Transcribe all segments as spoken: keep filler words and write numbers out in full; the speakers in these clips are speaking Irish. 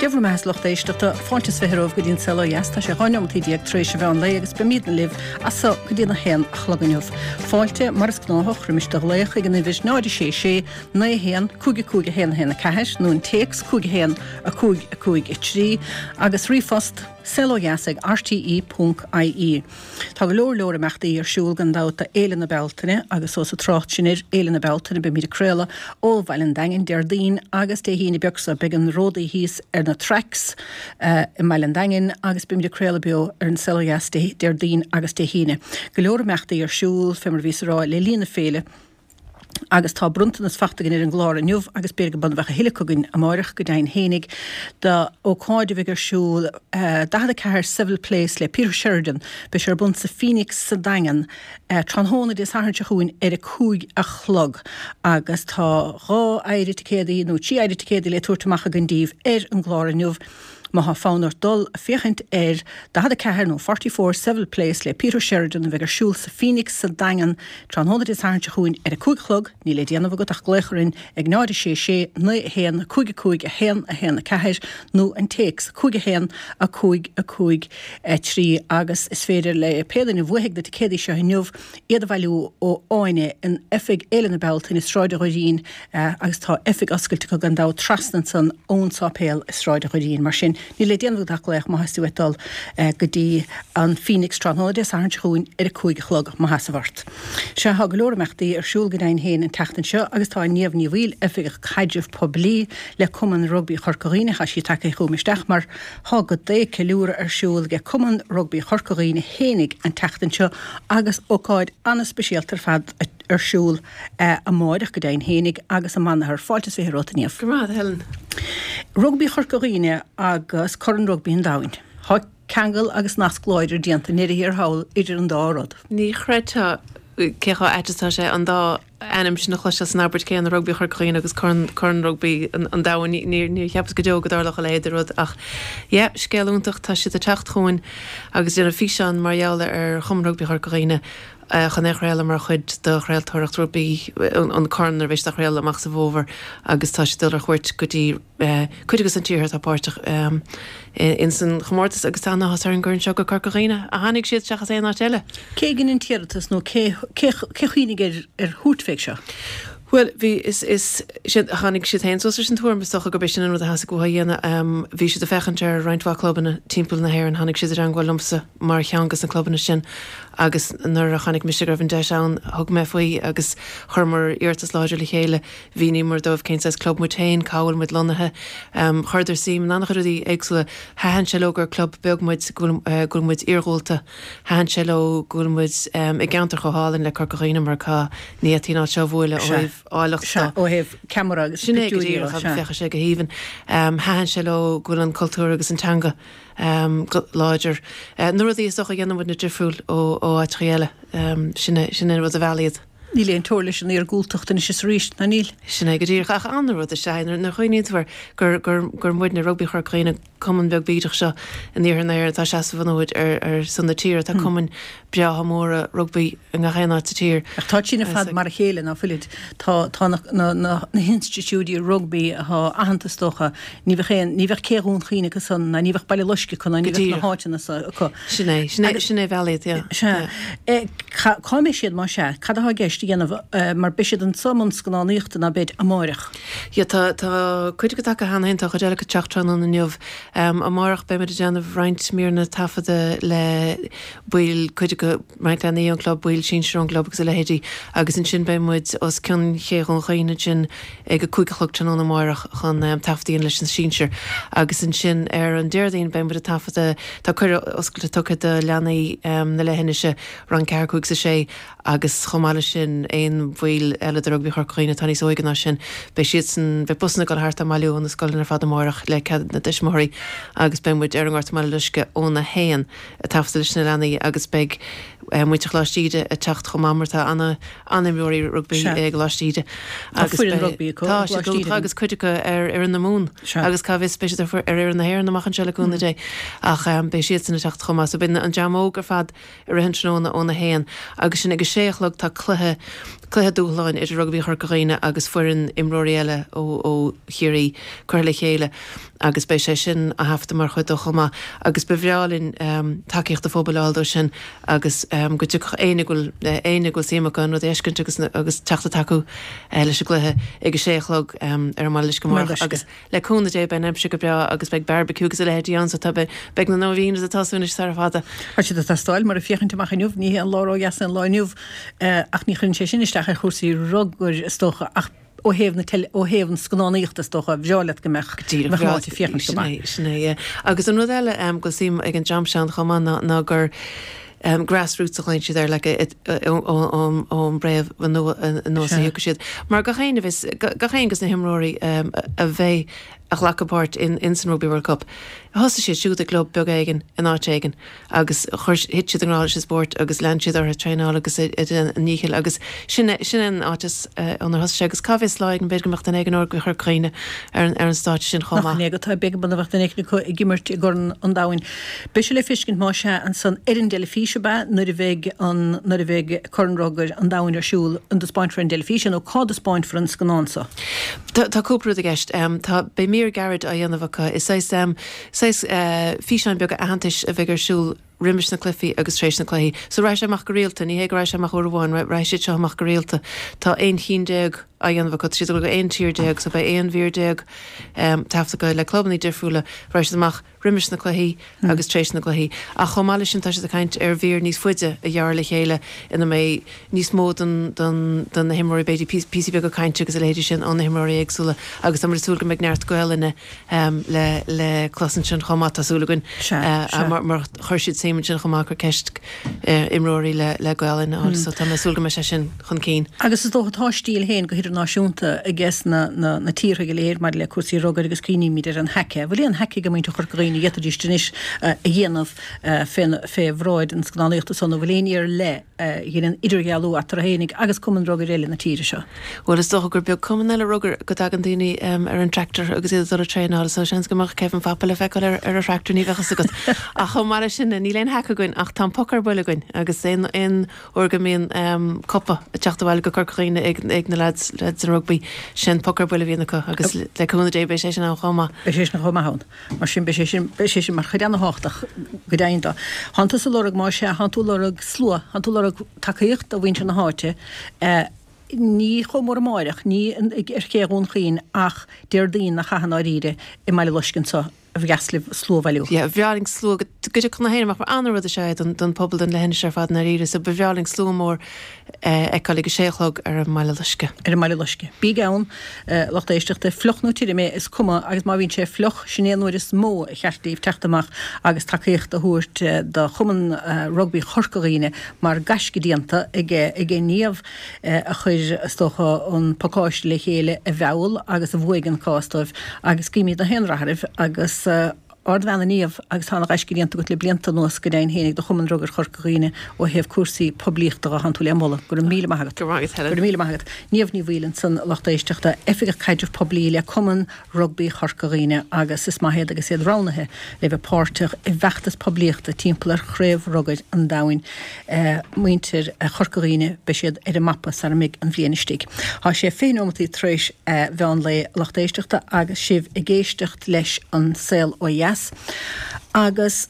Dé bhur mbeatha, a lucht éisteachta, fáilte is fiche romhaibh go dtí an Saol Ó Dheas. Tá sé dhá neomataí déag tar éis an mheán lae agus beimidne libh as so go dtí a haon a chlog inniu. Fáilte, mar is gnáthach, roimis do ghlaoch ag an uimhir náid a sé sé naoi a haon cúig a cúig a haon a haon a ceathair nó an téacs cúig a haon a cúig a cúig a trí agus ríomhphost saolodheas ag R T E ponc I E. Tá go leor leor imeachtaí ar siúl gan dabht do Fhéile na Bealtaine agus ós ag trácht sinn ar Fhéile na Bealtaine beimid ag craoladh ó Bhaile an Daingin Déardaoin agus Dé hAoine beag seo. Beidh an ródaí thíos ar na tracks i mBaile an Daingin agus beimid ag craoladh beo ar an Saol Ó Dheas Déardaoin agus Dé hAoine. Go leor imeachtaí ar siúl fé mar a bhíos ag rá le linn na féile. Agus tá bronntanas fachta againn ar an gclár inniu agus b'fhéidir go mbeadh a thuilleadh chugainn amáireach go deimhin fhéinig do ócáid a bheidh ar siúl daichead a ceathair Seville Place le Peter Sheridan. Beidh sé ar bun sa Phoenix sa Daingean tráthnóna Dé Sathairn seo chugainn ar a cúig a chlog agus tá dhá phéire ticéadaí nó trí phéire ticéadaí le tabhairt amach againn daoibh ar an gclár inniu. Má thá fonn ort dul a féachaint ar daichead a ceathair nó forty four Seville Place le Peter Sheridan a bheidh ar siúl sa Phoenix sa Daingean tráthnóna Dé Sathairn seo chugainn ar a cúig a chlog, níl le déanamh agat ach glaoch orainn ag náid a sé sé naoi a haon cúig a cúig a haon a haon a ceathair nó an téacs cúig a haon a cúig a cúig a trí agus is féidir le pé duine a bhuafaidh na ticéadaí seo inniu iad a bhailiú ó Áine in oifig Fhéile na Bealtaine i Sráid an Dhoirín agus tá oifig oscailte acu gan dabht trasna ansan ón sáipéal i Sráid an Dhoirín. Mar sin, níl le déanamh agat ach glaoch má theastaíonn uait dul go dtí an Phoenix tráthnóna Dé Sathairn seo chugainn ar a cúig a chlog, má sheasamh ort. Sea, tá go leor imeachtaí ar siúl go deimhin féin an tseachtain seo agus tá Niamh Ní Bhaoill, Oifigeach Caidrimh Poiblí le Cumann Rugbaí Chorca Dhuibhne, tá sí tagtha chugam isteach mar tá go dté ceiliúradh ar siúl ag Cumann Rugbaí Chorca Dhuibhne fhéinig an tseachtain seo agus ócáid an-speisialta ar fad ar siúl amáireach go deimhin fhéinig agus i mBanathair. Fáilte is fiche romhat, a Niamh. Go raibh maith agat, Helen. Rugbaí Chorca Dhuibhne agus Corn Rugbaí an Domhain. Tá ceangal agus nasc láidir déanta i ndeireadh thiar thall idir an dá rud. Ní chreidfeá cé chomh ait is atá sé an dá ainm sin a chloisteáil san abairt chéanna, Rugbaí Chorca Dhuibhne agus Corn Corn Rugbaí an Domhain. Níor níor cheapas go deo go dtarlódh a leithéid de rud ach yeah, scéal iontach, tá siad ag teacht chugainn agus ag déanamh físeán mar gheall ar Chumann Rugbaí Chorca Dhuibhne chun é a chraoladh mar chuid de chraoltóireacht rugbaí an Corn nuair a bheidh siad á chraoladh amach sa bhfómhar agus tá siad ag dul ar chuairt go dtí cuid de na tíortha atá páirteach ins an chomórtas agus tá an-áthas orainn gur anseo go Corca Dhuibhne a tháinig siad seachas aon áit eile. Cé a dhein an t-iarratas nó cé cé chuimhnigh ar ar thabhairt fé seo? Bhuel, bhí, is, is, siad, tháinig siad féin suas leis an tuairim, is dócha gurb é sin an rud a theastaigh uathu a dhéanamh. Bhí siad ag féachaint ar roinnt mhaith clubanna timpeall na hÉireann, tháinig siad i dteangmháil liomsa mar cheann de na clubanna sin agus nuair a chonaic mise go raibh an deis ann, thug mé faoi agus chuireamar iarratas láidir le chéile. Mhíníomar dóibh cén saghas club muid féin, cá bhfuil muid lonnaithe. Chuireadar suim in an-chuid rudaí éagsúla. Thaitin sé leo gur club beag muid, go bhfuil, go bhfuil muid iargúlta. Thaitin sé leo go bhfuil muid i gceantar chomh hálainn le Corca Dhuibhne mar cá, ní fhéadfaí an áit seo a bhualadh ó thaobh áilleachta de. Ó thaobh ceamara agus Sin é go díreach, agus féachfaidh sé go haoibhinn. Thaitin sé leo go bhfuil an cultúr agus an teanga go láidir. Na rudaí is dócha a dhéanann muidne difriúil ó áiteachaí eile, sin é, sin é an rud a mheall iad. Níl aon teora leis an iargúltacht anois is arís, ná níl? Sin é go díreach. Ach an-rud is ea é nuair a chuimhníonn tú air gur, gur, gur muidne, Rugbaí Chorca Dhuibhne, cumann beag bídeach seo in iarthar na hÉireann atá ag seasamh an fhóid ar, ar son na tíre. Tá cumainn breátha móra rugbaí i ngach aon áit sa tír. Ach táid sin ar fad mar a chéile, ná fuilid? Tá, tá na, na, na, na hinstitiúidí rugbaí atá aitheanta is dócha, ní bheadh aon, ní bheadh Cé Dhún Chaoin acu san, ná ní bheadh Baile Loiscthe acu, ná Go ní bheadh na díreach. háiteanna so acu. Sin é, sin é, Agus. sin é a mheall iad, yeah, Sea. yeah. Cá, cá mbeidh siad más ea? Cad atá i gceist a dhéanamh mar beidh siad anso i mbun scannánaíochta ná beid amáireach? Yeah, tá, tá cuid acu tagtha cheana féin, tá cuid eile acu ag teacht tráthnóna inniu. Amárach beimid ag déanamh roinnt míreanna taifeadta le baill, cuid acu, roinnt leanaí ón gclub, baill sinsir ón gclub agus a leithéidí agus ansin beidh muid os cionn Ché Dhún Chaoin ansin ag a cúig a chlog tráthnóna amárach chun taifead a dhéanamh leis na sinsir agus ansin ar an Déardaoin beidh muid ag taifeadadh, tá cuireadh oscailte tugtha do leanaí na leithinise, rang ceathair, cúig is a sé agus chomh maith leis sin aon bhaill eile de Rugbaí Chorca Dhuibhne atá níos óige ná sin, beidh siadsan, beidh busanna ag dul thart á mbailiú ó na scoileanna ar fad amárach le cead na dtuismitheoirí agus beidh muid ar an nGort i mBaile Loiscthe óna haon ag taifeadadh leis na leanaí agus beidh muintir Choláiste Íde ag teacht chomh maith mar tá ana an-imreoirí rugbaí i gColáiste Íde agus foireann rugbaí acu tá siad agus cuid acu ar fhoireann na Mumhan agus cá bhfios beidh siad ar fhoireann na hÉireann amach anseo le cúnamh Dé ach beidh siadsan ag teacht chomh maith so beidh an dream óg ar fad i rith an tráthnóna óna haon agus sin ag a sé a chlog tá cluiche cluiche dúshláin idir Rugbaí Chorca Dhuibhne agus foireann imreoirí eile ó ó Chiarraí curtha le chéile agus beidh sé sin á thaifeadadh mar chuid dó chomh maith agus ba bhreá linn tacaíocht an phobail a fháil dó sin agus go dtiocfadh éinne go bhfuil éinne go bhfuil suim acu an rud a fheiscint agus agus teacht ag tacú leis an gcluiche ag a sé a chlog ar an mBaile Loiscthe amárach agus le cúnamh Dé beidh an aimsir go breá agus beidh barbecue agus a leithéidí ann so tá beidh beidh na nóiríní ag tosú anois sara fada. Tá siad ag teastáil mar ag féachaint amach inniu, ní hé an lá ródheas é an lá inniu ach ní chuireann sé sin isteach ar chúrsaí rugair is dócha ach ó thaobh na teil ó thaobh an scannánaíochta is dócha, bhreá leat go mbeadh Díreach, mbeadh an áit ag féachaint go sin maith. é, sin é, yeah. Agus an rud eile go bhfuil suim ag an dream seo ann chomh maith ná ná gur grassroots a ghlaonn siad air, like ón ón bpréamh anuas a thiocfaidh siad. Mar gach éinne a bheas, gach éinne de na himreoirí a bheidh a ghlacfaidh páirt in in san Rugby World Cup, thosaigh siad siúd i gclub beag éigin in áit éigin agus chuir, thit siad i ngrá leis an spórt agus lean siad orthu ag traenáil agus ag déanamh a ndíchill agus sin é, sin é an áit as ónar thosaigh sé agus cá bhfios lá éigin b'fhéidir go mbeadh duine éigin ó Rugbaí Chorca Dhuibhne ar an ar an stáitse sin chomh Nach maith. in é go tá b'fhéidir go mbeadh duine éigin acu ag imirt i gCorn an Domhain. Beidh sé le feiscint más ea ansan ar an dteilifís ab ea nuair a bheidh an nuair a bheidh Corn Rugair an Domhain ar siúl an dtaispeáinfear ar an dteilifís é nó cá dtaispeáinfear an scannán so? Tá tá cúpla rud i gceist. Tá beidh mír gairid á dhéanamh acu. Is saghas saghas físeáin beaga aitheantais a bheidh ar siúl roimis na cluichí agus tar éis na cluichí. So raghaidh sé amach go rialta, ní hé go raghaidh sé amach uair amháin, raghaidh siad seo amach go rialta. Tá aon chinn déag á dhéanamh acu, tá siad ag dul go aon tír déag, so beidh aon mhír déag taifeadta acu le clubanna difriúla. Raghaidh siad amach roimis na cluichí agus tar éis na gcluichí. Ach chomh maith leis sin tá siad ag caint ar mhír níos faide a ghearradh le chéile ina mbeidh níos mó den den de na himreoirí, b'fhéidir píosaí beaga cainte agus a leithéidí sin ó na himreoirí éagsúla agus tá muid ag súil go mbeidh neart Gaelainne le le clos ansin chomh maith, tá súil againn mar mar chuir siad suim ansin chomh maith, cuir ceist imreoirí le le Gaelainn a fháil so tá mé ag súil go mbeidh sé sin chun cinn. Agus is dócha tá stíl féin go hidirnáisiúnta aige na na na tíortha go léir maidir le cúrsaí rugair agus cuimhnímid ar an haka. Bhfuil aon haka ag muintir Chorca Dhuibhne a d'fhéadfaidís anois a dhéanamh fé fé bhráid an scannánaíochta so nó bhfuil aon ní ar leith a dheineann idirdhealú eatarthu fhéinig agus cumann rugair eile na tíre seo? Bhuel is dócha gur beag cumann eile rugair go dtagann daoine ar an tractor agus iad ag dul ag traenáil so seans go mbeadh Kevin Phopa le feiceáil ar ar a thractor ní bheadh fhios agat. Ach chomh maith leis sin níl aon haka againn ach tá an poc ar buile againn agus aon aon uair go mbíonn cupa ag teacht abhaile go Corca Dhuibhne ag ag na lads lads an rugbaí sin poc ar buile a bhíonn acu agus le cúnamh Dé beidh sé sin ann chomh maith. Beidh sé sin chomh maith ann. Mar sin beidh sé sin beidh sé sin mar chuid ana-thábhachtach go deimhin de. Thánn tusa ag lorg más ea, thánn tú ag lorg slua, thánn tú ag lorg tacaíocht ó mhuintir na háite, ní chomh mór amáireach, ní ar ché Dhún Chaoin ach Déardaoin nach chaith i ndáiríre i mBaile Loiscthe anso ba dheas libh slua a bhailiú. Yeah, ba bhreá linn slua go dtiocfadh na héinne amach mar an-rud is ea é don don pobal don leithinis ar fad i ndáiríre so ba bhreá linn slua mór a fheiceáil ag a sé a chlog ar an mBaile Loiscthe. Ar an mBaile Loiscthe. Bígí ann, lucht éisteachta, fliuch nó tirim é, is cuma, agus má bhíonn sé fliuch, sin é an uair is mó a cheart daoibh teacht amach agus tacaíocht a thabhairt do Chumann Rugbaí Chorca Dhuibhne mar gaisce déanta ag ag Niamh a chuir, is dócha, an pacáiste le chéile a mheall agus a bhuaigh an cás dóibh agus guímid gach aon rath oraibh agus ardbhean a Niamh agus tá ana-ghaisce déanta agat le blianta anuas go deimhin féinig do Chumann Rugair Chorca Dhuibhne ó thaobh cúrsaí poiblíochta de, thánn tú le moladh. Go raibh míle maith agat. Go raibh maith agat Helen. Go raibh míle maith agat. Niamh Ní Bhaoill ansan, lucht éisteachta, Oifigeach Caidrimh Poiblí le Cumann Rugbaí Chorca Dhuibhne agus is maith iad agus iad roghnaithe le bheith páirteach i bhfeachtas poiblíochta timpeall ar Chraobh Rugair an Domhain. Muintir Chorca Dhuibhne, beidh siad ar an mapa sara mbeidh an bhliain istigh. Tá sé fiche nóimeataí tar éis mheán lae, a lucht éisteachta, agus sibh ag éisteacht leis an Saol Ó Dheas agus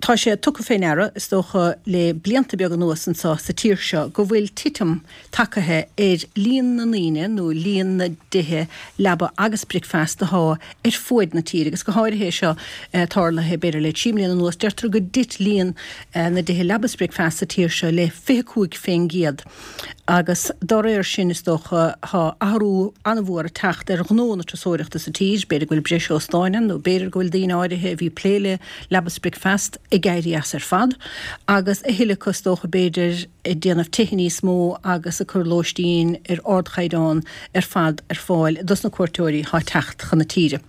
tá sé tugtha fé ndeara, is dócha, le blianta beaga anuas anso sa tír seo go bhfuil titim tagaithe ar líon na ndaoine nó líon na dtithe leaba agus bricfeasta athá ar fuaid na tíre agus go háirithe é seo tarlaithe b'fhéidir le trí mbliana anuas. Deirtear go dtit líon na dtithe leaba is bricfeasta sa tír seo le fiche cúig fén gcéad. Agus dá réir sin, is dócha, tá athrú an-mhór ag teacht ar ghnó na turasóireachta sa tír. B'fhéidir go bhfuil breis óstáin ann, nó b'fhéidir go bhfuil daoine áirithe a bhí ag plé le leaba is bricfeasta ag éirí as ar fad, agus a thuilleadh acu, is dócha, b'fhéidir, ag déanamh tithe níos mó agus ag cur lóistín ar ardchaighdeán ar fad ar fáil dos na cuairteoirí atá ag teacht chun na tíre.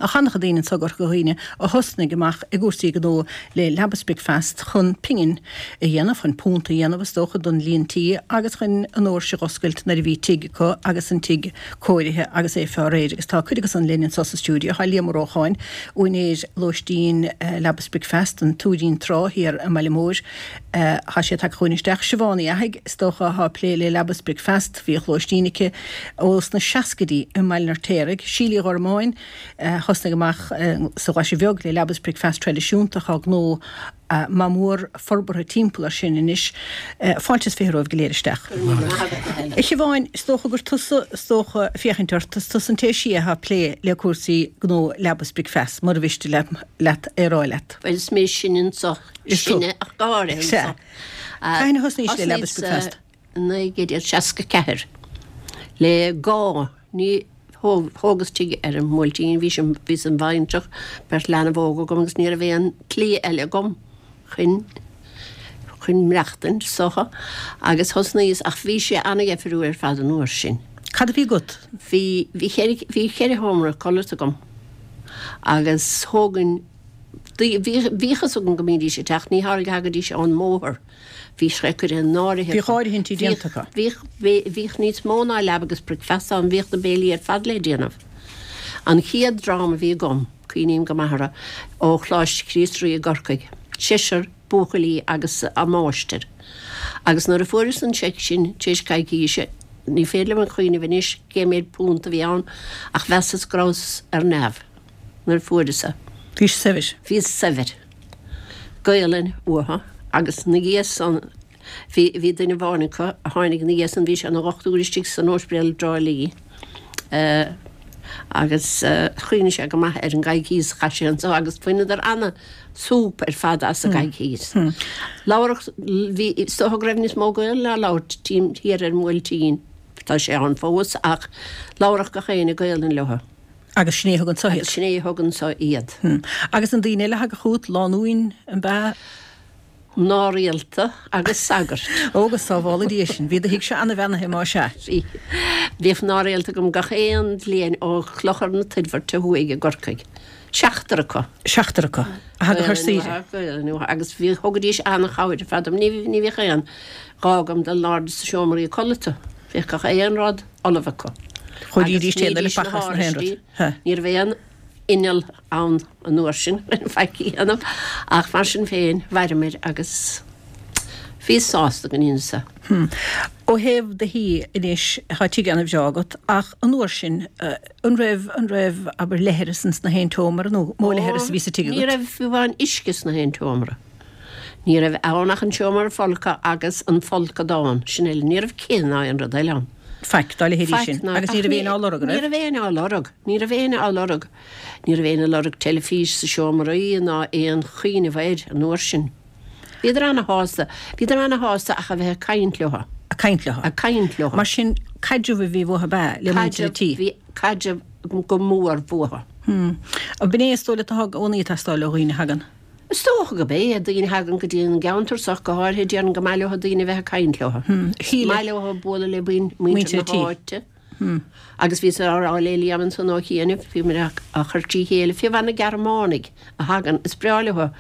Ach an-chuid daoine anso i gCorca Dhuibhne a thosnaigh amach i gcúrsaí gnó le Leaba 's Bricfeast chun pingin a dhéanamh, chun punt a dhéanamh is dócha don líon tí agus chun an doirse a dh'oscailt nuair a bhí tigh acu agus an tigh cóirithe agus é fá réir. Agus tá cuid acu san linn anso sa stiúideo. Tá Liam Ó Rócháin, úinéir lóistín Leaba 's Bricfeast, an Tuairín Trá thiar i mBaile Móir. Tá sé tagtha chugainn isteach. Siobhán Uí Fhathaigh, is dócha, atá ag plé le Leaba 's Bricfeast. Bhíodh lóistín aici ós na seascaidí i mBaile an Fheirtéaraigh. Síle Uí Ghormáin, thosnaigh amach sa Ghlaise Bheag le Leaba 's Bricfeast traidisiúnta. Tá gnó maith mór forbartha timpeall air sin anois. Fáilte is fiche romhaibh go léir isteach. A Shiobháin, is dócha gur tusa, is dócha, féachaint ort, is tusa an té is sia atá ag plé le cúrsaí gnó Leaba 's Bricfeast, mura mhiste leat é a rá leat. Bhuel, is mé is sine anso. Is tú. Sine ach go háirithe Sea. anso. Cathain a thosnaís le Leaba 's Bricfeast? Naoi gcéad déag seasca ceathair. Le gá, ní, thóg, thógas tigh ar an mBuailtín, bhí sé, bhíos im bhaintreach, beirt leanbh óg agam agus ní raibh aon tslí eile agam chun, chun maireachtaint, is dócha, agus thosnaíos, ach bhí sé ana-dheifriúil ar fad an uair sin. Cad a bhí agat? Bhí, bhí cheithre, bhí cheithre sheomra codlata agam agus thógainn, bhí, bhíodh fhios agam go mbídís ag teacht, ní tharla go dtagaidís ón mbóthar, bhí sé curtha in áirithe Bhíodh áirithintí déanta acu. Bhíodh, bhíodh níos mó ná leaba agus bricfeasta ann, bhíodh na béilí ar fad le déanamh. An chéad dream a bhí agam, cuimhním go maith orthu, ó Choláiste Chríost Rí i gCorcaigh, seisear buachaillí agus a máistir. Agus nuair a fuaireas an seic sin tar éis coicíse, ní féidir liom a chuimhneamh anois cé méid punt a bhí ann, ach mheasas go rabhas ar neamh nuair a fuaireas é. Bhís saibhir. Bhíos saibhir. Gaelainn uathu agus na dhiaidh san bhí bhí duine amháin acu a tháinig na dhiaidh san bhí sé ina dhochtúir istigh san ospidéal i dTrá Lí agus chuimhnigh sé go maith ar an gcoicíos a chaith sé anso agus bhaineadar ana súp ar fad as an gcoicíos. Labhradh bhí is dócha go raibh níos mó Gaelainn á labhairt tím thiar ar an mBuailtín tá sé ann fós ach labhradh gach éinne Gaelainn leo. Agus sin é a thug anso iad. Agus sin é a thug anso iad. Agus an daoine eile a thagadh chugat, lánúin, an b'ea? Mná rialta agus sagairt. Ó, go sábhála Dia sinn. Bhí do thigse ana-bheannaithe, más ea. Bhí. Bhíodh mná rialta agam gach aon bhliain ó Chlochar na Toirbhirte thuaidh i gCorcaigh. Seachtar acu. Seachtar acu a thagadh ar saoire. Gaelainn uathu agus bhí, thugaidís ana-chabhair ar fad dom. Ní, ní bhíodh aon ghá agam dul in airde sna seomraí codlata. Bhíodh gach aon rud ullamh acu. Chóirídís téad eile fachas na haon rud. Ní raibh aon inneall ann an uair sin chun faic a dhéanamh ach mar sin féin mhaireamair agus bhíos sásta go ndeineas é. Ó thaobh do thí anois, tá tigh ana-bhreá agat ach an uair sin an raibh, an raibh, abair, leithreas ins na haon tseomra nó mó leithreas a bhí sa tigh agat? Ní raibh fiú amháin uisce sna haon tseomra. Ní raibh ann ach an seomra folctha agus an folcadán, sin uile. Ní raibh cith ná aon rud eile ann. Faic dá leithéidí sin. Agus ní raibh éinne á lorg, an raibh? Ní raibh éinne á lorg. Ní raibh éinne á lorg. Ní raibh éinne ag lorg teilifís sa seomraí ná aon chuimhneamh air an uair sin. Bhíodar ana-shásta. Bhíodar ana-shásta ach a bheith ag caint leo. Ag caint leo. Ag caint leo. Mar sin, caidreamh a bhí uathu ab ea le muintir an tí? Caidreamh, bhí caidreamh go mór uathu. Hm. Ab in é is dóigh leat atá i gcónaí ag teastáil ó dhaoine a thagann? Is dócha gurb é, daoine a thagann go dtí an gceantar so ach go háirithe, déarfainn gur maith leo daoine a bheith ag caint leo. Is maith leo bualadh le muintir na háite. Agus bhíos á rá le Liam ansan ó chianaibh, bhí muid á chur trí chéile, fiú amháin na Gearmánaigh a thagann, is breá leo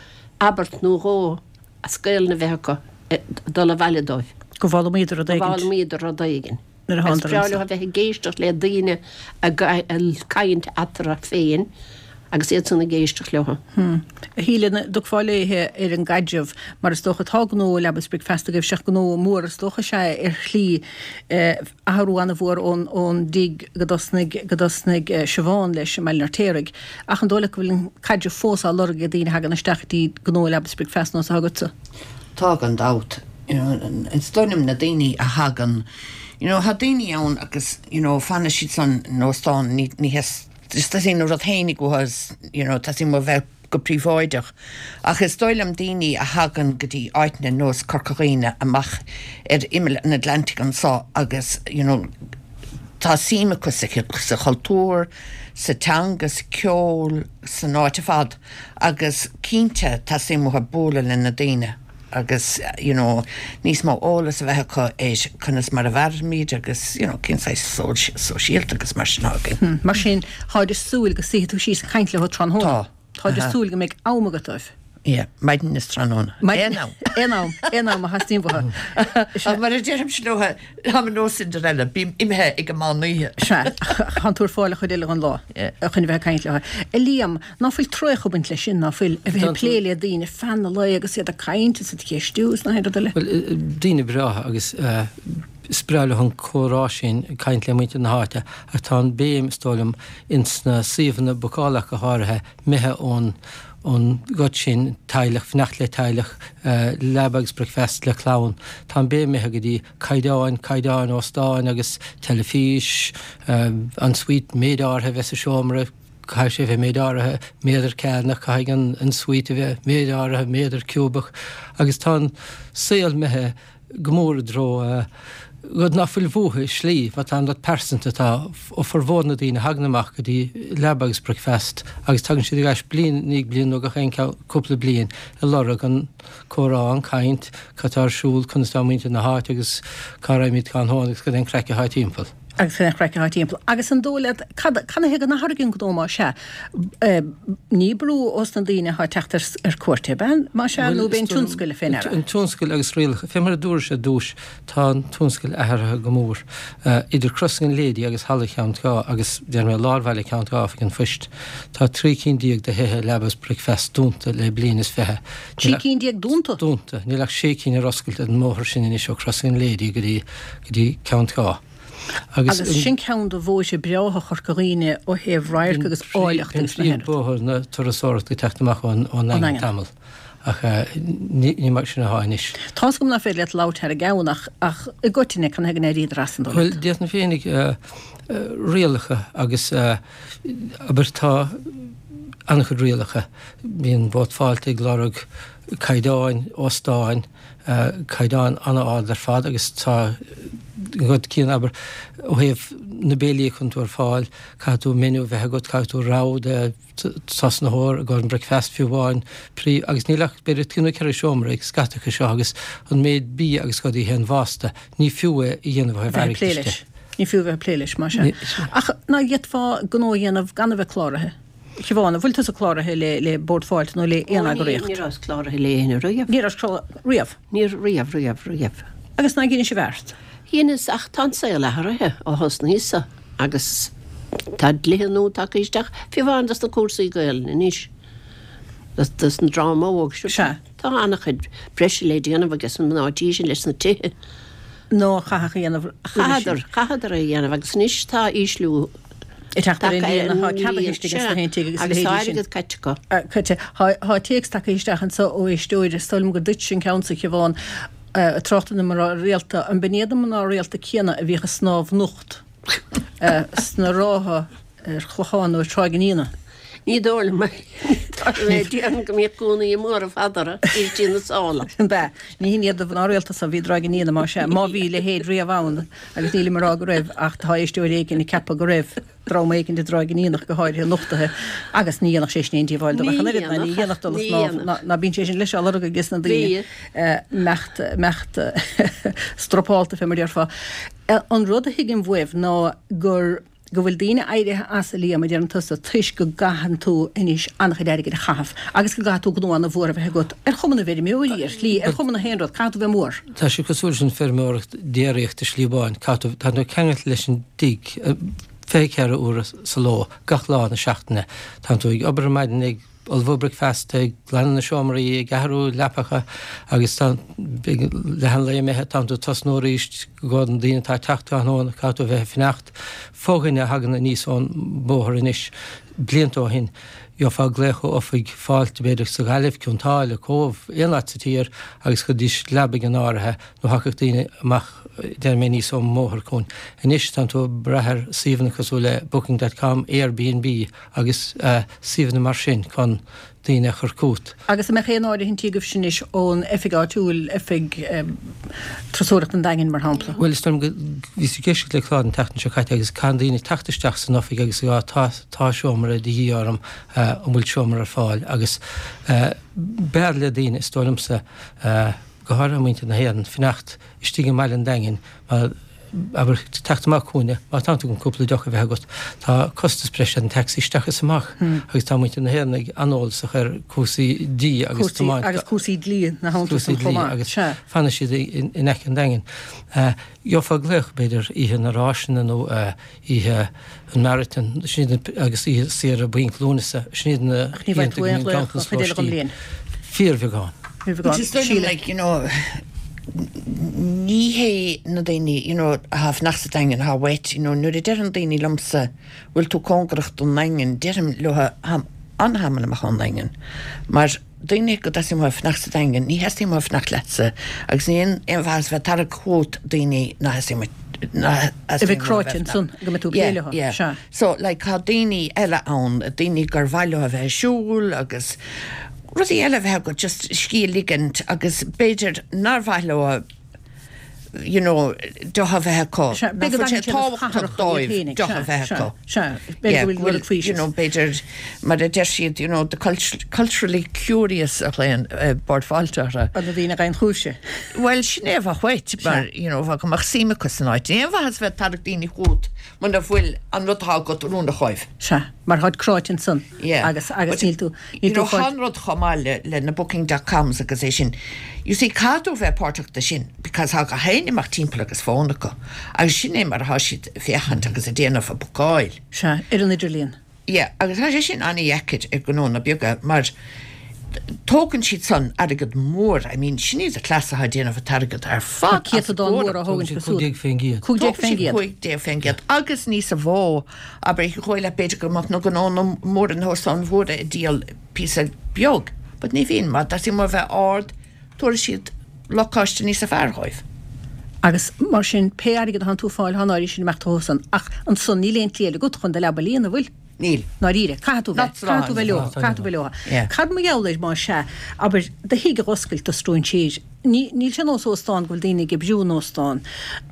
abairt nó dhó as Gaelainn a bheith acu ag dul abhaile dóibh. Go bhfoghlaimíodar rud éigin. Go bhfoghlaimíodar rud éigin. Nuair a Is thánadar breá anso. leo a bheith ag éisteacht le daoine ag caint eatarthu féin agus iad san ag éisteacht leo. A Shíle, an dtiocfá léithe ar an gcaidreamh, mar is dócha tá gnó Leaba 's Bricfeasta agaibh, seach gnó mór is dócha is ea ar shlí, athrú ana-mhór ón ón dtigh go dtosnaigh go dtosnaigh Siobhán leis i mBaile an Fheirtéaraigh. Ach an dóigh leat go bhfuil an caidreamh fós á lorg ag daoine a thagann isteach go dtí gnó Leaba 's Bricfeasta nós atá agatsa? Tá gan dabht. You know, is dóigh liom na daoine a thagann, you know, tá daoine ann agus, you know, fanann siad san óstán, ní, ní theastaíonn a rud fhéinig uathu is, you know, teastaíonn uathu bheith go príobháideach. Ach is dóigh liom daoine a thagann go dtí áiteanna nós Corca Dhuibhne amach ar imeall an Atlantaigh anso agus, you know, tá suim acu sa, sa chultúr, sa teanga, sa ceol, san áit ar fad agus cinnte teastaíonn uathu bualadh le na daoine. agus you know, níos mó eolas a bheith acu ar conas mar a mhairimid agus you know, cén saghas sóisialta agus mar sin againn. Hmm, mar sin, táid ag súil go suífidh tú síos ag caint leo tráthnóna. Tá. Táid ag súil go mbeidh am agat dóibh. Yeah, maidin is tráthnóna. Aon am. Aon am, aon am a theastaíonn uathu. Ach mar a deirimse leo, táim ar nós Cinderella, bím imithe ag an meán oíche. Sea, tánn tú ar fáil an chuid eile den lá chun a bheith ag caint leo. A Liam, ná fuil traochadh ag baint leis sin, ná fuil, a bheith ag plé le daoine feadh an lae agus iad ag caint is iad ag ceistiú is nach aon rud eile? Bhuel, daoine breátha agus is breá leo an comhrá sin, ag caint le muintir na háite, ach tá an béim, is dóigh liom, ins na suíomhanna bookála go háirithe, imithe ón ón gcuid sin, teaghlach, fanacht le teaghlach, leaba agus bricfeasta le clann. Tá an béim imithe go dtí caighdeáin, caighdeáin óstáin agus teilifís, an suite méid áirithe a bheith sa seomra, caithfidh sé a bheith méid áirithe méadar cearnach, caithfidh an suite a bheith méid áirithe méadar ciúbach agus tá an saol imithe go mór i dtreo rud ná fuil uathu i slí, mar tá an rud pearsanta, tá formhór na daoine a thagann amach go dtí leaba agus bricfeast agus tagann siad ar ais bliain i ndiaidh bliain nó gach aon cúpla bliain ag lorg an comhrá, an caint, cad tá ar siúl, conas tá muintir na háite agus cá raghaimid tráthnóna agus cad é an craic atá timpeall. Agus cad é an chraic atá timpeall. Agus an dóigh leat, cad, canathaobh go n-athraigh an gnó má sea? Ní brú ós na daoine atá ag teacht ar, ar cuairt, ab ea? Má sea, nó b'é an tionscal fé ndeara? An tionscal agus rialacha. Fé mar a dúrais ar dtúis, tá an tionscal athraithe go mór. Idir Crossing an Lady agus Halla Cheann Trá agus, déarfaidh mé, lár bhaile Cheann Trá, Oifig an Phoist, tá trí cinn déag de thithe leaba is bricfeasta dúnta le bliain is fiche. Trí cinn déag dúnta? Dúnta. Níl ach sé cinn ar oscailt ar an mbóthar sin anois ó Crossing an Lady go dtí, go dtí Ceann Trá. Agus sin ceann de bhóithre breátha Chorca Dhuibhne ó thaobh radharc agus áilleacht agus na héireann. Bóthar na turasóireachta ag teacht amach ón nDaingean tamall ach ní mar sin atá anois. Tá's agam nach féidir leat labhairt thar a gceann ach ach i gcoitinne canathaobh go n-éiríodar as an dóigh Bhuel, déarfainn féinig rialacha agus abair tá an-chuid rialacha. Bíonn Bord Fáilte ag lorg caighdeáin óstáin, caighdeán an-ard ar fad agus tá an rud céanna, abair, ó thaobh na béilí a chuireann tú ar fáil, caithfidh tú menu a bheith agat, caithfidh tú rogha de tosnaitheoir i gcomhair an bricfeast fiú amháin, príomh, agus níl ach b'fhéidir trí nó ceithre seomra ag scata acu seo agus an méid bia agus rudaí a théann fosta, ní fiú é a dhéanamh ó thaobh Bheith ag plé airgeadais de. leis. Ní fiú a bheith ag plé leis, más ea. Ach ná d'fhéadfá gnó a dhéanamh gan a bheith cláraithe? Siobhán, an bhfuil tusa cláraithe le le Bord Fáilte nó le aon Ó ní, eagraíocht? ní rabhas cláraithe le éinne riamh. Ní rabhais cláraithe riamh? Ní riamh, riamh, riamh. Agus ná dheinis i bhfeart? Dheineas, ach tá an saol athraithe ó thosnaíos-sa agus tá dlíthe nua tagtha isteach, fiú amháin dos na cúrsaí Gaelainne anois, dos dos an dream óg seo. Sea. Tá an-chuid breise le déanamh ages na mná tí sin leis na tithe. Nó a chaithfeadh a dhéanamh roimhe sin. Chaitheadar, chaitheadar é a dhéanamh agus anois tá ísliú. Ag teacht ar an líon atá ceadaithe istigh ins na haon tigh agus a leithéidí sin. Agus tá airgead caite acu. Caite. Tá téacs tagtha isteach anso ó éisteoir, is dóigh liom gur duitse an ceann so, a Shiobhán, ag trácht ar na mná rialta. An b'in iad na mná rialta céanna a bhíodh ag snámh nocht sna rátha ar Chlochán nó ar Tráigh an Fhíona? Ní dóigh liom é. Déarfainn go mbíodh gúnaí móra fada orthu, istigh ina sála. Ab ea? Ní hin iad na mná rialta so a bhí i dTráigh an Fhíona, más ea, má bhí a leithéid riamh ann, agus nílim ag rá go raibh, ach tá éisteoir éigin ag ceapadh go raibh dream éigin i dTráigh an Fhíona ach go háirithe nochtaithe, agus ní dhéanfadh sé sin aon díobháil dóibh ach an oiread, ná ní dhéanfadh dul ag snámh, ná, ná bíonn sé sin leis á lorg ages na daoine, imeacht, imeacht stropálta, fé mar a déarfá. An rud a thuigim uaibh ná gur. go bhfuil daoine éirithe as, a Liam, a deireann tusa, toisc go gcaitheann tú anois an-chuid airgid a chaitheamh agus go gcaithfidh tú gnó ana-mhór a bheith agat, ar chuma na bhfeirmeoirí, ar shlí, ar chuma na haon rud, caithfidh tú bheith mór. Tá sé cosúil leis an feirmeoireacht déiríochta i slí amháin, caithfidh tú, tá tú ceangailte leis an dtigh fiche ceathair uair sa ló, gach lá na seachtaine. Tá tú ag obair ar maidin, ag ullmhú bricfeasta, ag glanadh na seomraí, ag athrú leapacha agus tá leath an lae imithe, tá tú ag tosnú arís i gcomhair na daoine atá ag teacht tráthnóna, caithfidh tú a bheith ag fanacht. Fo-dhuine a thagann aníos ón mbóthar anois, blianta ó shin, gheofá glaoch ó oifig Fáilte, b'fhéidir sa Ghaillimh, Cionn tSáile, Cóbh, aon áit sa tír agus chuiridís leabaidh in áirithe nó thiocfadh daoine amach, déarfaidh mé, aníos ón mbóthar chugainn. Anois tánn tú ag brath ar suíomhanna cosúil le Booking dot com, Airbnb agus suíomhanna mar sin chun daoine a chur chugat. Agus an mbeadh aon áirithintí agaibhse anois ón oifig áitiúil, oifig Turasóireachta an Daingin, mar shampla? Bhuel, is dóigh liom go, bhíos ag éisteacht le clár an tseachtain seo caite agus caitheann daoine teacht isteach san oifig agus ag rá tá, tá seomra de dhíth orm, an bhfuil seomra ar fáil? Agus b'fhearr le daoine, is dóigh liomsa, go háirithe muintir na hÉireann, fanacht istigh i mbaile an Daingin mar, abair, teacht amach chugainne, má tá tú chun cúpla deoch a bheith agat, tá costas breise ar an taxi isteach is amach agus tá muintir na hÉireann ag an-eolasach ar cúrsaí dí agus Cúrsaí tiomáint agus cúrsaí dlí na cúrsaí san dlí chomh maith. agus Sea. fanann siad in aice an Daingin. Gheofá glaoch, b'fhéidir, oíche na Ráiseanna nó oíche an Marathon, sin iad na, agus oíche saoire Bainc Lúnasa, sin iad na Ach ní bhfaigheann oícheanta tú go aon mbíonn ghlaoch ganntanas an chuid eile den lóistín. bhliain. Fíorbheagán. Fíorbheagán. Which is dóigh liom, Síle. like, you know, ní hé na daoine, you know, atá ag fanacht sa Daingean atá uait, you know, nuair a deireann daoine liomsa, bhfuil tú cóngarach don Daingean, deirim leo, táim an-tamall amach ón Daingean. Mar daoine go dteastaíonn uathu fanacht sa Daingean, ní theastaíonn uathu fanacht leatsa agus ní aon aon mhaitheas bheith ag tarrac chugat daoine ná theastaíonn uait ná A theastaíonn bheith uathu cráite bheith ansan go mbeidh tú ag plé Yeah, leo. yeah. Sea. So, like, tá daoine eile ann, daoine gur mhaith leo a bheith ag siúl agus rudaí eile a bheith acu, just scíth a ligint agus b'fhéidir nár mhaith leo you know, deoch a bheith acu. Sea, Nach b'fhéidir go bhfuil sé dtaitníonn sé le tábhachtach cathrach iad dóibh féinig, deoch a sea, bheith sea, acu. sea. B'fhéidir Yeah, go bhfuil go bhfuil, rud faoi you know, b'fhéidir, mar a deir siad, you know, the cult culturally curious a ghlaonn uh, Bord Fáilte orthu. An na daoine gan chúise. Well, sin é a bheadh uait, mar, you know, bheadh go mbeadh suim acu san áit. Ní aon mhaitheas bheith ag tarrac daoine chugat muna bhfuil an rud atá agat oiriúnach dhóibh. Sea, mar tháid cráite ansan. Yeah. Agus, agus But, níl tú, you níl know, tú fáil. Tá an rud chomh maith le, le na booking dot coms agus é sin. You see, caithfidh tú bheith páirteach de sin, because tá gach éinne amach timpeall agus fón acu. Agus sin é mar atá siad ag féachaint agus ag déanamh a bookáil. Sea, ar an idirlíon. Yeah, agus tá sé sin an-dheacair ag gnónna beaga, mar tógann siad san airgead mór, I mean, sin iad na cleasa atá ag déanamh an t-airgead ar fad Tá as an céatadán mór gcomhaireamh. a thógann Tógann siad siad suas. cúig déag faoin gcéad. Cúig déag Tógann faoin siad gcéad. cúig déag faoin gcéad. Agus níos a mhó, abair, dhóigh leat b'fhéidir go mbeadh na gnónna móra na hóstáin mhóra ag díol píosa beag, but ní bhíonn, mar tá siad mar bheith ard, tabharfaidh siad lacáiste níos fearr dhóibh. Agus mar sin, pé airgead atá tú fáil, tá an áirithe sin imeacht chucu san. Ach ansan níl aon tslí eile agat chun do leaba a líonadh, bhfuil? Níl. Ndáiríre, caithfidh tú bheith, Not caithfidh tú bheith leo, Not caithfidh tú bheith leo. Yeah. Cad mar gheall air má sea, abair, do thigh a dh'oscailt do stróinséir. Ní, níl sé nós óstán go bhfuil daoine ag oibriú in óstán.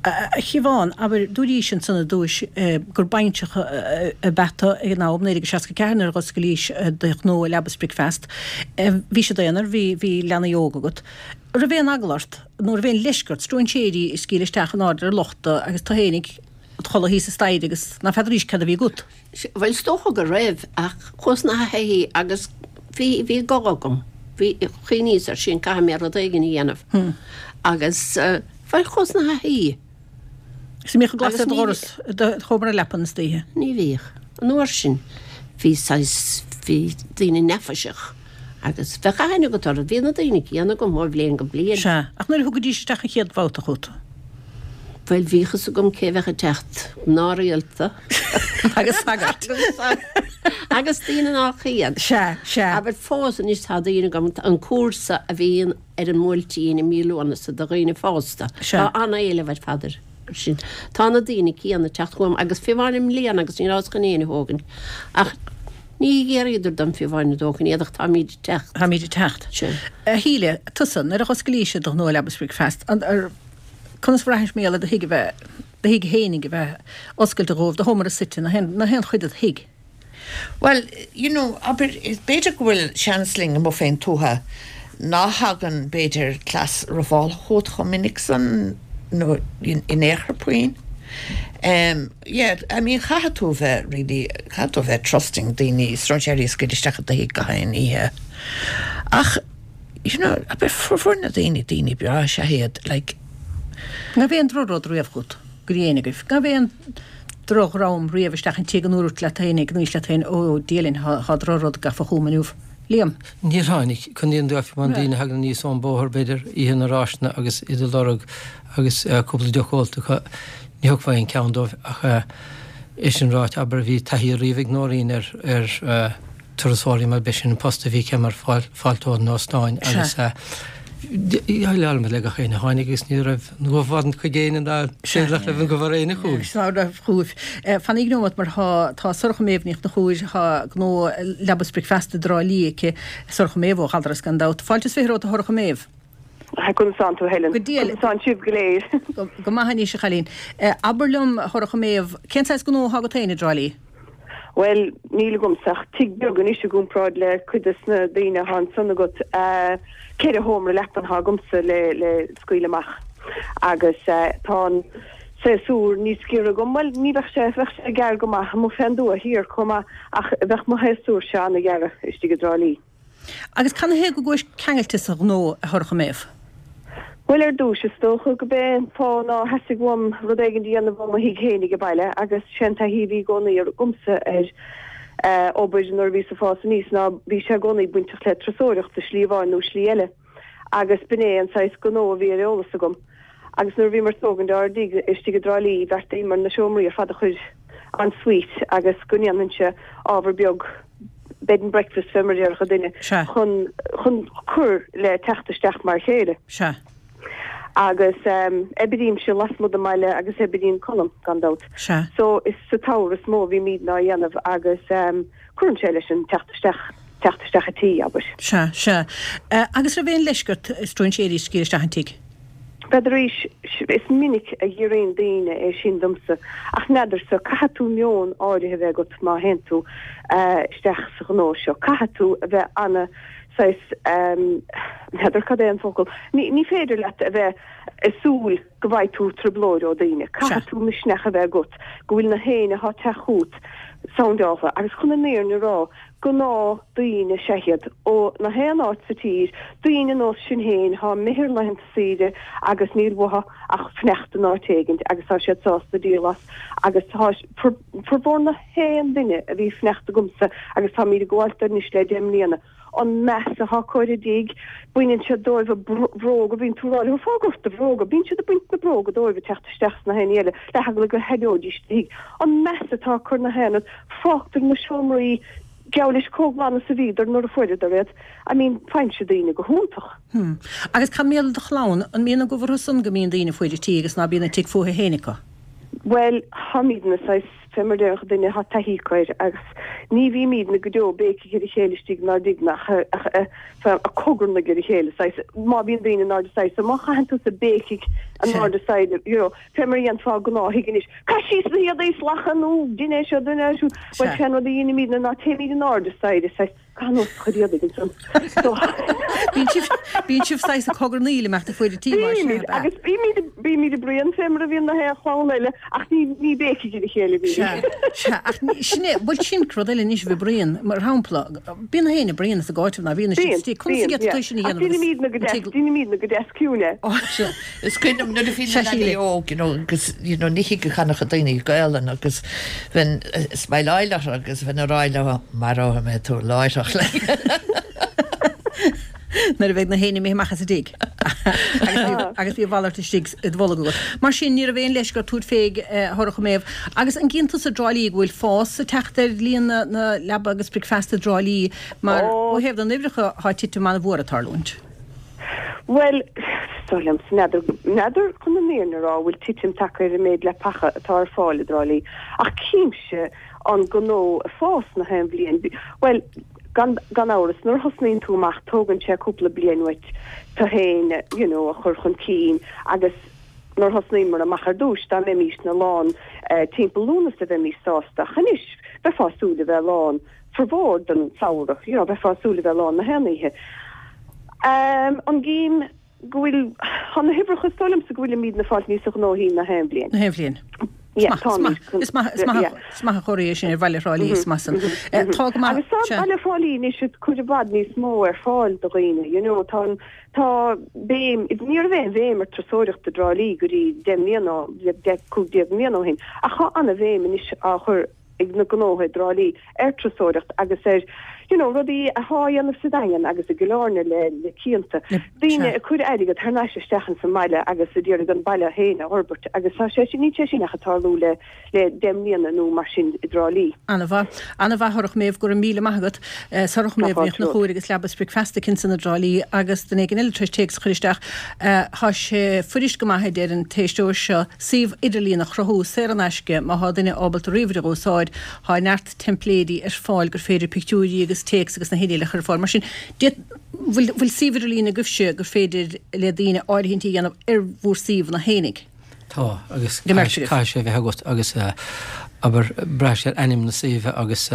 A Shiobhán, abair, dúraís ansan ar dtúis, gur bainseach ab ea tú ag an am, naoi déag seasca ceathair nuair a dh'oscailís do ghnó Leaba is Bricfeast. Bhís i d'aonar, bhí, bhí leanaí óga agat. Raibh aon eagla ort, nó raibh aon leisce ort, stróinséirí ag scaoileadh isteach in airde ar lochta agus tú fhéinig id chodladh thíos sa staighre agus ná feadaraís cad a bhí agat? Bhuel, is dócha go raibh, ach chuas 'na thaithí agus bhí, bhí gob agam. Bhí, chuimhníos air sin, caithfidh mé rud éigin a dhéanamh. Agus, bhuel, chuas 'na thaithí. Agus an mbíodh an glas Agus ar do ní dhoras, i do sheomra leapan istoíche? Ní bhíodh. An uair sin, bhí saghas, bhí daoine neafaiseach agus bheadh aithne agat orthu. Bhí na daoine céanna agam ó bhliain go bliain. Sea, ach nuair a thugaidís isteach an chéad bhabhta chugat? Bhuel, bhíodh fhios agam cé bheadh ag teacht, mná rialta. Agus sagairt. Agus daoine nach iad. Sea, sea. Abair fós anois tá daoine agam, an cúrsa a bhíonn ar an mBuailtín i mí Lúnasa do dhaoine fásta. Sea. Tá an-éileamh ar fad air sin. Tá na daoine céanna ag teacht chugam agus fiú amháin i mbliana agus ní rabhas chun éinne a thógaint. Ach ní ghéaraíodar dom fiú amháin a dtógaint iad ach táimid ag teacht. Táimid ag teacht. Sea. A Shíle, tusa, nuair a dh'oscailís do ghnó Leaba is Bricfeast, an, ar, conas bhraithis mar gheall ar do thigh a bheith, do thigh fhéinig a bheith oscailte dhóibh, do sheomra suite, na haon, na haon chuid de do thigh? Well, you know, abair, is b'fhéidir go bhfuil seans linn amuigh fén tuath ná thagann b'fhéidir cleas rámhaíochta chugat chomh minic san nó in, in aon chor puinn. Um, yeah, I mean, caithfidh tú bheith really, caithfidh tú bheith trusting daoine, stróinséirí a scaoileadh isteach i do thigh gach aon oíche. Ach, you know, abair, formhór na daoine, daoine breá is ea iad, like, An raibh aon drochrud riamh chugat, go dtí éinne agaibh. An raibh aon drochdhream riamh isteach an tigh go ndúirt leat féin, go ndúirt leat féin, ó, Dia linn, thá, thá drochrud gafa chugam inniu. Liam? Níor tháinig, chun an dóibh an daoine a thagann aníos ón bóthar, b'fhéidir, oíche na ráiseanna agus iad ag lorg agus, eh, cúpla deoch ólta acu, ní thiocfá aon ceann dóibh ach, eh, é sin ráite, abair, bhí taithí riamh ag Nóirín ar, ar, eh, turasóirí mar b'é sin an post a bhí aici mar fáil, fáilteoir in óstáin Sea. agus, eh, dhéileáil muid le gach éinne a tháinig agus ní raibh an gobharn chuig éinne ná Sea. nach raibh an gobhar éinne chugaibh. Sea, ná raibh chugaibh. Eh, Fan nóiméad mar thá, tá Sorcha Méabh Ní Chonchúir, thá gnó Leaba is Bricfeasta i dTrá Lí aici, Sorcha Méabh ó Ghaldrasc gan dabht. Fáilte is fiche romhat a Shorcha Méabh. Conas tánn tú Helen. Go diail. Conas tánn sibh go léir. Go, go maith anois a chailín. Eh, abair liom, a Shorcha Méabh, cén saghas gnó atá agat féin i dTrá Lí? Bhuel, níl agamsa ach tigh beag anois i gcomparáid le cuid des na daoine atá ansan agat. Ceithre sheomra leapan atá agamsa le le scaoileadh amach agus tá an séasúr níos giorra agam. Bhuel, ní bheadh sé, bheadh sé gearr go maith amuigh fén dtuath thiar chomh maith ach bheadh mo shéasúrse an-ghearr istigh i dTrá Lí. Agus canathaobh go gcuais ceangailte sa ghnó, a Shorcha Méabh? Bhuel, ar dtús, is dócha go b'é an fáth ná theastaigh uaim rud éigin a dhéanamh ó mo thigh fhéinig abhaile agus sé'n taithí a bhí i gcónaí agamsa ar obair nuair a bhíos ag fás aníos ná bhí sé i gcónaí bainteach le turasóireacht i slí amháin nó slí eile agus b'in é an saghas gnó a bhí ar eolas agam. Agus nuair a bhíomar ag tógaint ár dtigh istigh i dTrá Lí bheartaíomar na seomraí ar fad a chur en suite agus go ndéanfainnse ábhar beag bed and breakfast fé mar a déarfadh duine Sea. chun chun cur le teacht isteach mar chéile. Sea. Agus oibrímse lasmuigh den mbaile agus oibríonn Colm, gan dabht. Sea. So is sa tsamhradh is mó a bhímidne á dhéanamh agus cuireann sé leis an teacht isteach, teacht isteach a' tí, abair. Sea, sea. Agus raibh aon leisce ort stróinséirí a scaoileadh isteach an tigh? B'fhéidir, is minic a fhiafraíonn daoine é sin domsa, ach n'fheadarsa, caithfidh tú meon áirithe a bheith agat má théann tú isteach sa ghnó seo. Caithfidh tú a bheith ana saghas, n'fheadar cad é an focal, ní féidir leat a bheith ag súil go bhfaighidh tú trioblóid ó daoine. Caithfidh tú misneach a bheith agat go bhfuil na héinne atá ag teacht chugat soundáilte agus chun an fhírinne a rá, gnáth daoine is ea iad ó na haon áit sa tír, daoine nós sinn féin thá imithe ar laethanta saoire agus níl uathu ach fanacht in áit éigint agus tá siad sásta díol as agus tá formhór na haon duine a bhí fanacht agamsa agus táimid ag gabháilt anois le deich mbliana an meas athá acu ar an dtigh, baineann siad dóibh a bhróga, bíonn tú ag rá leo fág ort do bhróga, bíonn siad ag baint na bróga dóibh ag teacht isteach sna haon ní eile le heagla go haireoidís do thigh. An meas atá acu ar na haon rud, fágtar na seomraí geall leis chomh glan is a bhíodar nuair a fuaireadar iad. I mean, faigheann daoine go hiontach. Hmm. Agus cad mar gheall ar do chlann, an mbíonn an gomh orthu san go mbíonn daoine ag faire tí agus ná bíonn an tigh fúthu féin acu? Bhuel, táimidne saghas, fé mar a déarfadh duine, tá taithí acu air agus ní bhímidne go deo béicigh ar a chéile istigh inár dtigh ach ag cogarnaigh ar a chéile, saghas, má bhíonn daoine in airde staighre, so má chaitheann tusa béicigh in airde staighre, you know, fé mar a dhéanfá i gnáth-thigh anois, caith síos na héadaí salach nó dein é seo, dein é siúd, bhuel, sé an rud a dheinimidne ná téimid in airde staighre, saghas, Caith anuas do chuid éadaigh ansan. Bíonn sibh, bíonn sibh saghas ag cogarnaíl i measc na faire tí mar sin, Bímid, ab ea? agus bímid, bímid ag bruíon fé mar a bhíonn na haon chlann eile, ach ní, ní béicigh ar a chéile a Sea, bhímid. sea, ach sin é, bhuel sin rud eile anois a bheith ag bruíon, mar shampla, bíonn na héinne ag bruíon as a gcáiteamh ná bíonn siad Bíonn, istigh, conas a bíonn, d'fhéadfadh yeah. tú sin a Ach dhéanamh agus deinimidne go an deas, tig deinimidne go deas ciúin é. Ó, Sea, is cuimhin liom nuair a bhí sea, na leanaí Síle. óg, you know, agus, you know, ní thig a cheannach daoine Gaelainn agus bheinn ag smileáil orthu agus bheinn ag rá leo, maróidh mé tú láithreach Nuair a bheidh na héinne imithe amach as an dtigh agus bhí a mhalairt istigh i do bholg agat. Mar sin, ní raibh aon leisce ort tabhairt fé a Shorcha Méabh. Agus an gcíonn tusa i dTrá Lí go bhfuil fás ag teacht ar líon na leaba agus bricfeasta i dTrá Lí mar ó thaobh na n-uimhreacha tá titim an-mhór ag tarlúint? Bhuel, is dóigh liomsa, n'fheadar, n'fheadar chun an fhírinne a rá an bhfuil titim tagtha ar an méid leapacha atá ar fáil i dTrá Lí, ach címse an gnó ag fás na haon bhliain. Bhuel, gan, gan amhras, nuair a thosnaíonn tú amach tógann sé cúpla bliain uait tú féin, you know, a chur chun cinn agus nuair a thosnaíomar amach ar dtús dá mbeimísne lán timpeall Lúnasa bheimís sásta ach anois bheifeá ag súil a bheith lán formhór den samhradh, you know, bheifeá ag súil a bheith lán na haon oíche. An gcím go bhfuil, tá na huimhreacha, is dóigh liomsa go bhfuilimidne ag fáilt níosa gnóthaí na haon bhliain. Na haon bhliain. Yeah, táimid. Is maith, is maith, is maith an chomhartha é sin ar bhaile Thrá Lí, is maith san. Tá go maith. Agus tá baile Thrá Lí anois ag cur i bhfad níos mó ar fáil do dhaoine, you know, tá an, tá béim, ní raibh aon bhéim ar turasóireacht i dTrá Lí go dtí deich mbliana, deich, cúig déag mbliana ó shin, ach tá an-bhéim anois á chur ag na gnótha i dTrá Lí ar turasóireacht agus ar you know rudaí athá á dhéanamh sa Daingean agus i gCill Airne le le cianta. Daoine ag cur airgead thar n-ais isteach ins an mbaile agus ag iarraidh an baile féin a fhorbairt agus tá sé sin, níl sé sin ach ag tarlú le le deich mbliana nó mar sin i dTrá Lí. Ana-mhaith. Ana-mhaith Shorcha Méabh, go raibh míle maith agat. Sorcha Tá Méabh Ní fáilte romhat. Chonchúir agus Leaba is Bricfeasta aici ansan i dTrá Lí agus duine éigin eile tar éis téacs a chur isteach. Tá sé fuirist go maith a deir an t-éisteoir seo suíomh idirlíon a chruthú saor in aisce má thá duine ábalta ríomhaire a úsáid. Thá neart teimpléidí ar fáil gur féidir pictiúirí agus téacs agus na héinne eile a chur ar fáil. Mar sin, bhfuil bhfuil suíomh idirlíon agaibhse gur féidir le daoine áirithintí a dhéanamh ar bhur suíomhanna fhéinig? Tá, agus Go mbeadh sibh. caithfidh sé a bheith agat agus Abair, braithfidh sé ar ainm na suíomhe agus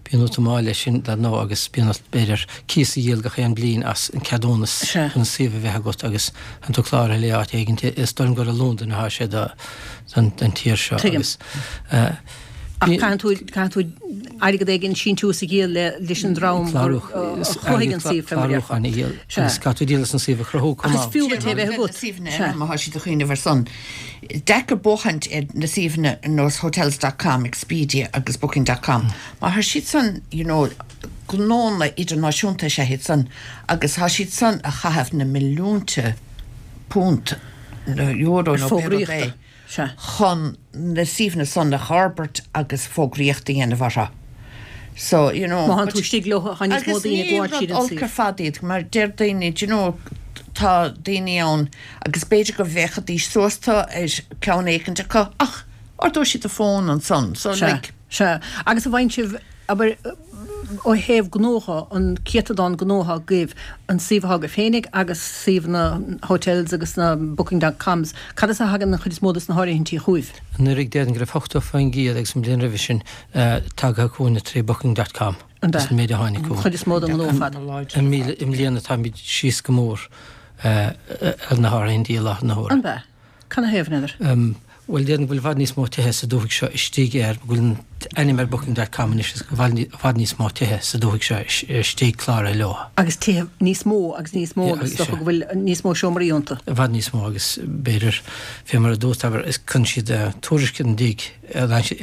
bíonn ort i ndáil leis sin dar ndóigh agus bíonn ort b'fhéidir cíos a dhíol gach aon bliain as an ceadúnas chun an suíomh a bheith agat agus tá tú cláraithe le áit éigin. Is dóigh liom gur i Londain atá sé don tír seo agus. Ach caitheann tú, caitheann tú airgead éigin síntiús a dhíol le, leis an dream a chruthaigh an suíomh fé mar a déarfá. Clárúchán a dhíol agus caithfidh tú díol as an suíomh a chruthú chomh maith. Ach is fiú duit é a bheith agat. Suíomhanna eile má tá siad ag cuimhneamh ar san. Deacair buachaint ar na suíomhanna ar nós Hotels dot com, Expedia agus Booking dot com mar tá siad san, you know, gnónna idirnáisiúnta is ea iad san agus tá siad san a chaitheamh na milliúnta punt nó euro nó pé rud é. Sea. chun na suíomhanna san a fhorbairt agus fógraíocht a dhéanamh orthu. So, you know. Má thánn tú istigh leo, tá níos mó daoine ag gabháil tríd an suíomh. Agus ní rud olc ar fad iad, mar deir daoine, do you know, tá daoine ann agus b'fhéidir go bhféachfaidís suas tu ar ceann éicint acu ach ordóidh siad an fón ansan. So, Sea, like. sea. Agus an bhfaigheann sibh, abair, ó thaobh gnótha, an céatadán gnótha agaibh, an suíomh atá agaibh féinig agus suíomh na hotels agus na booking dot coms, cad as a thagann an chuid is mó de na háirithintí chugaibh? Anuraidh déarfainn go raibh ochtó faoin gcéad agus an bhliain roimhe sin tagtha chugainne trí booking dot com An as an méid a tháinig An chugainn. chuid is mó den ghnó ar fad. I mbliana táimid síos go mór ar na háirithintí i láthair na huaire. An ea? Canathaobh, n'fheadar? Bhuel, déarfainn go bhfuil i bhfad níos mó tithe sa dúthaigh seo istigh ar, go bhfuil an t-ainm ar Booking dot com anois agus go bhfuil i bhfad níos mó tithe sa dúthaigh seo istigh cláraithe leo. Agus tithe níos mó agus níos mó agus is dócha go bhfuil níos mó seomraí iontu. I bhfad níos mó agus b'fhéidir, fé mar a dúirt, abair, is cuireann siad tuairisc ina ndiaidh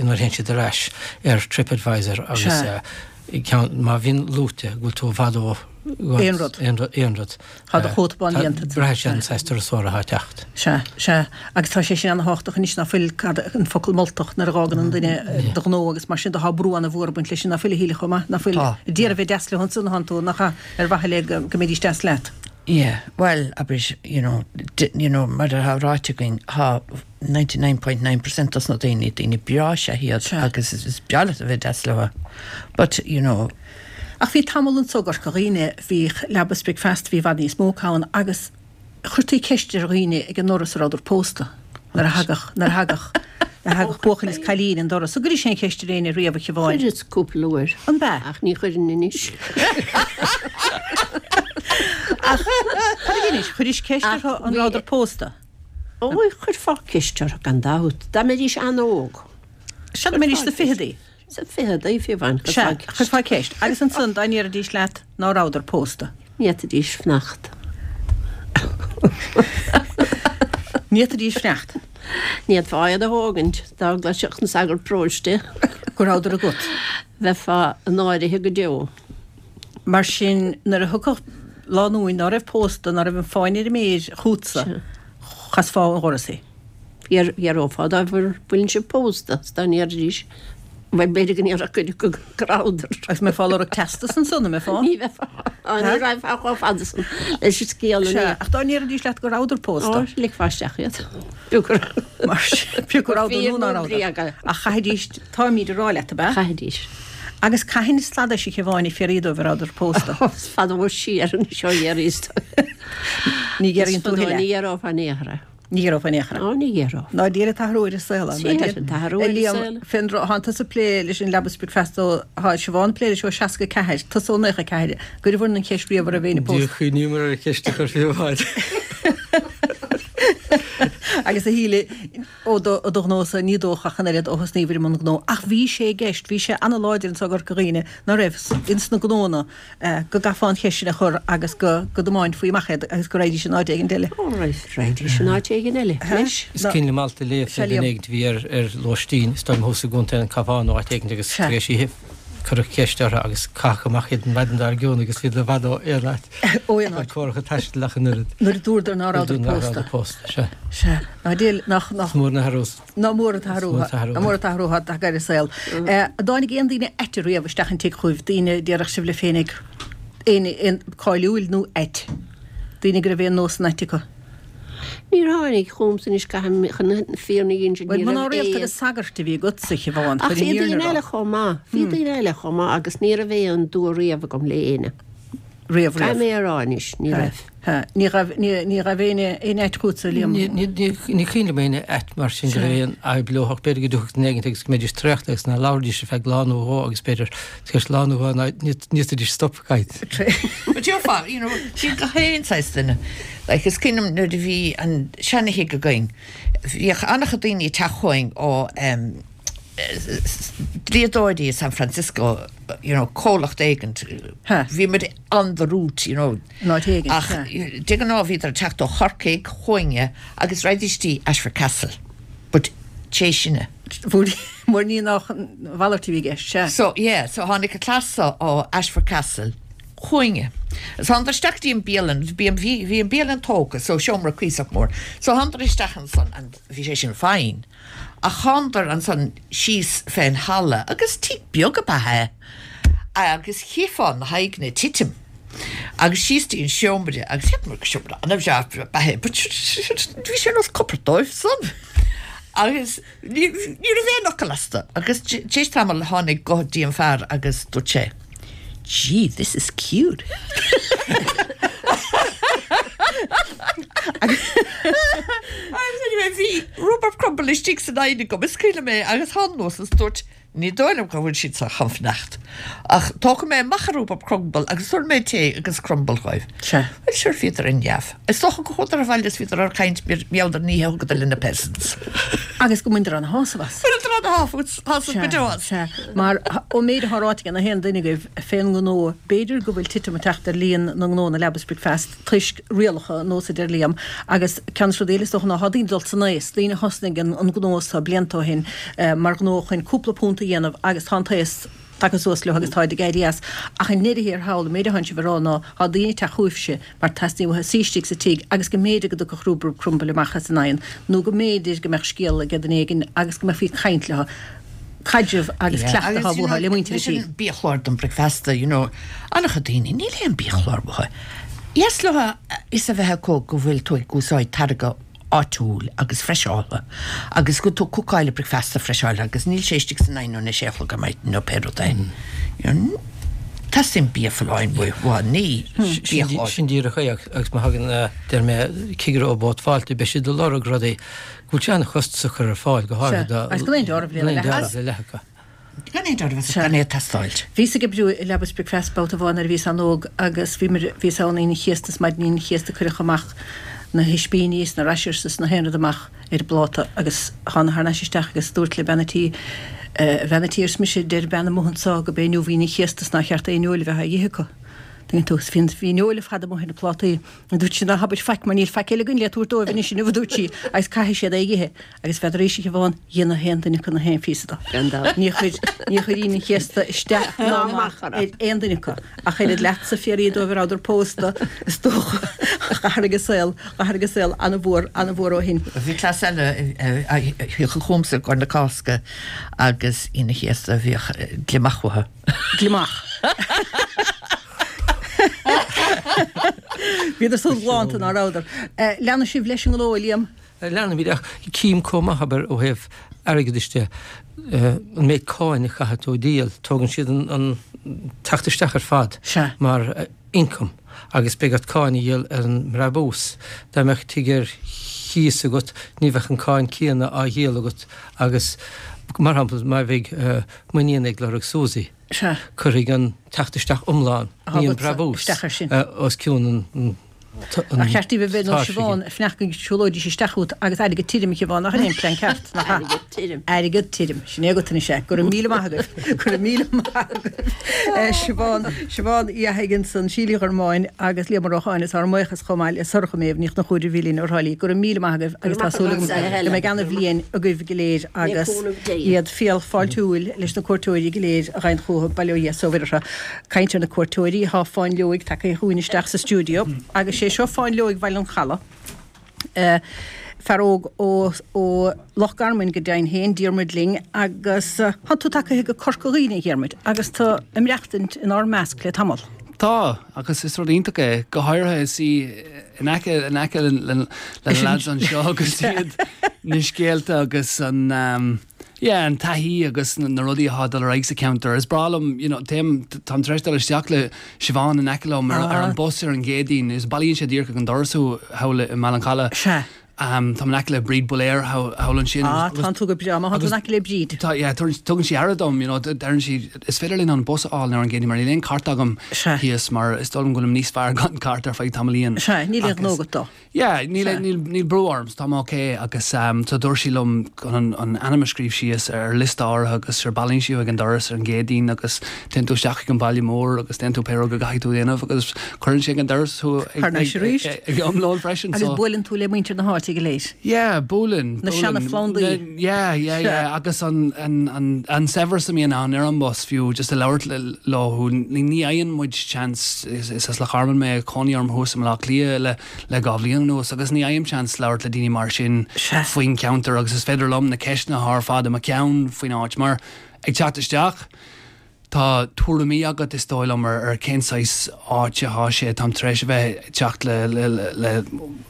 nuair a théann siad ar ais ar TripAdvisor agus ceann, má bhíonn luaite go bhfuil tú i bhfad ó Aon rud. Aon rud, aon rud. Tá do chóta bán déanta. Braithfidh sé an saghas turasóra atá ag teacht. Sea, sea. Agus tá sé sin ana-thábhachtach anois ná fuil, cad, an focal moltach nuair a dh'fhágann an duine do ghnó agus mar sin de tá brú ana-mhór ag baint leis sin ná fuil a Shíle chomh maith, ná fuil. Tá. D'iarraidh bheith deas leo ansan a thánn tú, nach ea, ar mhaithe le go mbeidís deas leat. Yeah, bhuel, abair, you know, you know, mar atá ráite againn, tá ninety nine point nine percent dos na daoine, daoine breá is ea iad agus is breá leat a bheith deas leo. But, you know. Ach bhí tamall anso i gCorca Dhuibhne, bhíodh leaba is bricfeasta, bhí i bhfad níos mó acu ann agus chuirtí ceist ar dhaoine ag an ndoras an rabhadar pósta nuair a thagadh, nuair a thagadh, nuair a thagadh buachaill is cailín an doras. An gcuiris aon cheist ar éinne riamh, a Shiobháin? Chuireas cúpla uair. An b'ea? Ach ní chuireann anois. Ach cad a dheinis? Chuiris ceist orthu an rabhadar pósta? Ó, chuirfeá ceist orthu gan dabht, dá mbeidís an-óg. Sea, dá mbeidís sna ficheadaí. Sa ficheadaí, fiú amháin, Sea, chuirfeá ceist. chuirfeá ceist. Agus ansan, dá ndéarfaidís leat ná rabhadar pósta? Ní fhéadfaidís fanacht. Ní fhéadfaidís fanacht. Ní fhéadfá iad a thógaint, dá gcloisfeadh an sagart paróiste. Go rabhadar agat. Bheifeá in áirithe go deo. Mar sin, nuair a thiocfadh lánúin ná raibh pósta, ná raibh an fáinne ar a méir chugatsa, chasfá ón dhoras í. D'fhiafrófá dóibh an bhfuileann sibh pósta, 's dá ndéarfaidís, bhuel, b'fhéidir go ndéarfadh cuid acu go rabhadar. Agus an mbeifeá ag lorg teastas ansan, an mbeifeá? Ní bheifeá. Ní raghfá chomh fada san leis an scéal Sea, anois. ach dá ndéarfaidís leat go rabhadar pósta? Ó, ligfeá isteach iad. Fiú gur Mar sin, fiú go rabhadar fíor nó ná nó rabhadar. bréaga. Ach chaithfidís, táimid ag rá leat, ab ea? Chaithfidís. Agus cathain a stadais a Shiobháin ag fiafraí dóibh an rabhadar pósta? Is fada ó siar anois ó dh'iarraidh. Ní Is ghiorraíonn tú fadó thuilleadh. ní fhiafrófá in aon chor é. Ní fhiafrófá in aon chor. Ó, ní fhiafrófá. Ná Dia an t-athrú ar an saol ann. Sea, an t-athrú ar an Liam, saol. fén dtráth, thánn tusa ag plé leis an leaba is bricfeasta ó, thá Siobhán ag plé leis ó seasca ceathair, tusa ó naocha ceathair, an gcuireabhair an cheist riamh an raibh éinne Níor pósta. chuimhníomar ar an cheist a chur fiú amháin. Agus a Shíle, ó do, ó do ghnósa, ní dócha ach an oiread ó thosnaíobhair i mbun gnó. Ach bhí sé i gceist, bhí sé ana-láidir anso i gCorca Dhuibhne, ná raibh, ins na gnónna, go gcaithfeá an cheist sin a chur agus go go dtiomáinfí amach iad agus go raghaidís in áit éigin eile. Ó, raghaidís in áit éigin eile, leis. Is cuimhin liom alt a léamh fé duine éigin a bhí ar ar lóistín, is dóigh liom thuas i gContae an Chabháin nó áit éigin agus tar éis oíche cuireadh ceist orthu agus caitheadh amach iad an mhaidin dár gcionn agus bhíodar i bhfad ó aon áit. Ó aon áit. Córacha taistil ach an oiread. Nuair a dúradar ná Nuair a rabhadar dúradar ná pósta. rabhadar pósta, sea. Sea. Ná déil, nach, nach. Is mór an t-athrú. Ná mór an t-athrú, Is mór an t-athrú. ná mór an t-athrú atá tagtha ar an saol. An dtáinig aon daoine aite riamh isteach an tigh chugaibh, daoine a déarfadh sibh libh féinig, aon, aon, cáiliúil nó ait, daoine go raibh aon nósanna aite acu? Níor tháinig chugamsa anois caithfidh mé chun na fírinne a insint, Bhuel, ní mná raibh rialta aon. agus sagairt a bhí agatsa, a Shiobhán, Ach chuir bhí an fhírinne daoine a rá. eile chomh maith, bhí daoine eile chomh maith agus ní raibh aon dua riamh agam le éinne. Riamh, Caithfidh riamh. mé a rá anois, ní raibh. Ha, ní raibh, ní, ní raibh aon, aon áit chugatsa, Liam. Ní, ní, ní, ní cuimhin liom aon áit mar sin go raibh aon fhadhb leo ach b'fhéidir go dtiocfadh duine éigin agus go mbeidís traochta agus ná labhraídís ar feadh lá nó dhó agus b'fhéidir tar éis lá nó dhó ná ní, ní fhéadfaidís stop ag caint. But gheofá, you know, bhí gach aon saghas duine. Like, is cuimhin liom nuair a bhí an seana-thigh againn, bhíodh an-chuid daoine ag teacht chugainn ó, em, dlíodóirí i San Francisco, you know, comhlacht éigint. Bhí muid on the route, you know. An áit éigint, Ach de ghnáth bhíodar ag teacht ó Chorcaigh chugainne agus raghaidís dtí Ashford Castle. But cé sinne? Mar ní nach an mhalairt a bhí i gceist, sea. So, yeah, so tháinig an cleas seo ó Ashford Castle chugainne. So thánadar isteach dtí an bialann, bhí an, bhí, bhí an bialann tógtha, so seomra cuíosach mór. So thánadar isteach ansan and bhí sé sin fine. Ach thánadar ansan síos fén halla agus tigh beag ab ea é agus chífeá na haghaidheanna ag titim agus síos dtí an seomra agus cheapamar gur seomra an-bhreá ab ea é but bhí sé ar nós cupard dóibh san agus ní ní raibh aon fhocal astu agus tar éis tamaill tháinig guth dtí an fear agus dúirt sé Gee, this is cute. Agus anyway, bhí rhubarb crumble istigh san oigheann agam, is cuimhin liom é, agus thána anuas is dúirt, ní dóigh liom go bhfuil siad sa chun fanacht, ach tógfaidh mé amach an rhubarb crumble agus tabharfaidh mé tae agus crumble dhóibh. Sea. Bhuel, sure, bhíodar ar neamh. Is dócha go chuadar abhaile is bhíodar ar caint mar gheall ar an oíche a thugadar le na peasants. Agus go mbaineadar ana-shásamh as. Bhaineadar ana-shásamh go deo as. Sea, sea. Mar ón méid atá ráite ag na haon duine agaibh fén ngnó, b'fhéidir go bhfuil titim ag teacht ar líon na ngnónna leaba is bricfeasta toisc rialacha ar nós a deir Liam agus ceann de na rudaí eile is dócha ná tá daoine ag dul san aos, daoine a thosnaigh an gnó seo blianta ó shin mar ghnó chun cúpla punt a dhéanamh agus tá an t-aos tagtha suas leo agus táid ag éirí as. Ach i ndeireadh thiar thall, an méid atánn sibh a rá ná tá daoine ag teacht chugaibhse mar teastaíonn uathu suí istigh sa tigh agus go mb'fhéidir go dtiocfadh rhubarb crumble amach as an oigheann nó go mb'fhéidir go mbeadh scéal ag duine éigin agus go mbeifí ag caint leo. Caidreamh agus cleachtadh atá uathu le muintir an tí. Leis an biachlár don bricfeasta, you know, an-chuid daoine, níl aon biachlár uathu. Dheas leo a fhios a bheith acu go bhfuil tú ag úsáid táirge áitiúil agus freiseáltha agus go bhfuil tú ag cookáil an bricfeasta freiseáltha agus níl sé istigh san oigheann óna sé a chlog ar maidin nó pé rud é. You know, teastaíonn bia folláin uathu, ní biachlár. Sin díreach é agus má thagann, deir mé, cigire ó Bord Fáilte, beidh siad ag lorg rudaí go bhfuil sé an-chostasach a chur ar fáil, go háirithe do Agus gan aon dealramh le leath. le leath acu. Gan aon dealramh agus gan é ag teastáilt. Bhíos ag oibriú i Leaba is Bricfeasta babhta amháin nuair a bhíos an-óg agus bhí muid, bhíos ann Aoine an Chéasta is maidin Aoine an Chéasta cuireadh amach na hispíní is na rashers is na haon rud amach ar an bpláta agus thána thar n-ais isteach agus dúirt le bean a' tí, A bhean a' tí, arsa mise, deir bean amuigh anso go b'é inniu Aoine an Chéasta is nár cheart aon fheoil a bheith á dh'ithe acu. Tuigeann tú, bhí an, bhí an fheoil ar fad amuigh ar na plátaí. Dúirt sí, ná habair faic mar níl faic eile againn le tabhairt dóibh anois inniu, a dúirt sí, agus caithfidh siad é a dh'ithe. Agus bheadar arís a Shiobhán, dhein na haon duine acu na haon phíosa de. Gan dabht. Níor chuir, níor chuir Aoine an Chéasta isteach ná amach ar aon duine acu. Ach oiread leatsa, fiafraí dóibh a rabhadar pósta, is dócha. D'athraigh an saol, d'athraigh an saol an-mhór, an-mhór ó shin. Bhí cleas eile a thiocfadh chugamsa i gcomhair na Cásca agus Aoine an Chéasta bhíodh gliomach uathu. Gliomach. Bhíodar san ghlánta ná rabhadar. Leanfaidh sibh leis an ngnó, a Liam? Leanfaimid ach cím chomh maith, abair, ó thaobh airgeadais de, an méid cáin a chaithfidh tú a dhíol, tógann siad an teacht isteach ar fad mar ioncam agus beidh ort cáin a dhíol ar an mbrabús. Dá mbeadh tigh ar chíos agat, ní bheadh an cáin céanna á dhíol agat agus, mar shampla, má bheidh m'iníon ag lorg Susi, cuirfidh an teacht isteach iomlán, ní an brabús, os cionn an Ar cheart daoibh a bheith ar nós Siobhán ag fanacht go siúlóidís isteach chugat agus airgead tirim a Shiobhán, nach in é an plean ceart, nach ea? Airgead tirim. Airgead tirim. Sin é agat anois é. Go raibh míle maith agaibh. Go raibh míle maith agaibh. Siobhán, Siobhán Uí Fhathaigh ansan, Síle Uí Ghormáin agus Liam Ó Rocháin is ár mbuíochas chomh maith le Sorcha Méabh Ní Chonchúir a bhí linn ó Thrá Lí. Go raibh míle maith agaibh agus tá súil agam go mbeidh ana-bhliain agaibh go léir agus iad fial fáiltiúil leis na cuairteoirí go léir a ghabhann chucu, bail ó Dhia is ó Mhuire orthu. Caint ar na cuairteoirí, tá Fáinleoig tagtha chugainn isteach sa stiúideo agus sé seo Fáinleoig Bhaile an Chalaidh, fear óg ó ó Loch Garman go deimhin féin, Diarmuid linn agus tá tú tagtha go Corca Dhuibhne, a Dhiarmuid, agus tú ag maireachtaint inár measc le tamall. Tá, agus is rud iontach é, go háirithe is í in aice in aice le le na lads anseo agus iad na scéalta agus an yeah, an taithí agus na, na rudaí atá dul ar aghaidh sa ceantar. Is breá liom, you know, téim táim tar éis dul isteach le Siobhán in aice liom ar, ar an bus ar an gCéadaoin, is bailíonn sé díreach ag an doras thú thall i mBaile an Chalaidh. Sea. Um, tá in aice le Bríd Builéir thall ansin. Ah, tá tú go breá, má tá in aice le Bríd. Tá, yeah, tugann sí aire dom, you know, deireann sí is féidir linn an bus a fháil ar an gCéadaoin mar níl aon cairt agam thíos mar is dóigh liom go bhfuilim níos fearr gan cairt ar feadh tamaillín. Sea, níl aon ghnó agat dó. Yeah, níl níl níl brú orm, tá mé okay agus um, so dúirt sí liom chun an, an ainm a scríobh síos ar liosta áirithe agus sure bailíonn sí ag an doras ar an gCéadaoin agus téann tú isteach ag an baile mór agus déanann tú pé rud go gcaithfidh tú déanamh agus cuireann sé ag an doras thú ag, Thar n-ais arís. ag, ag, ag am lóin freisin. Agus buaileann tú le muintir na háite go léir. Yeah, buaileann. Na seana-phlandaí. Yeah, yeah, yeah. Agus an, an, an, an saibhreas a mbíonn ann ar an bus fiú just a labhairt leo ní ní fhaigheann muid chance is, is as Loch Garman mé cónaí orm thuas i mBaile Átha Cliath le le dhá bhliain anuas agus ní fhaighim chance labhairt le daoine mar sin faoin ceantar agus is féidir liom na ceisteanna ar fad i mo cheann faoin áit mar ag teacht isteach Tá tuairimí agat is dóigh liom ar ar cén saghas áit atá sé táim tar éis a bheith teacht le le le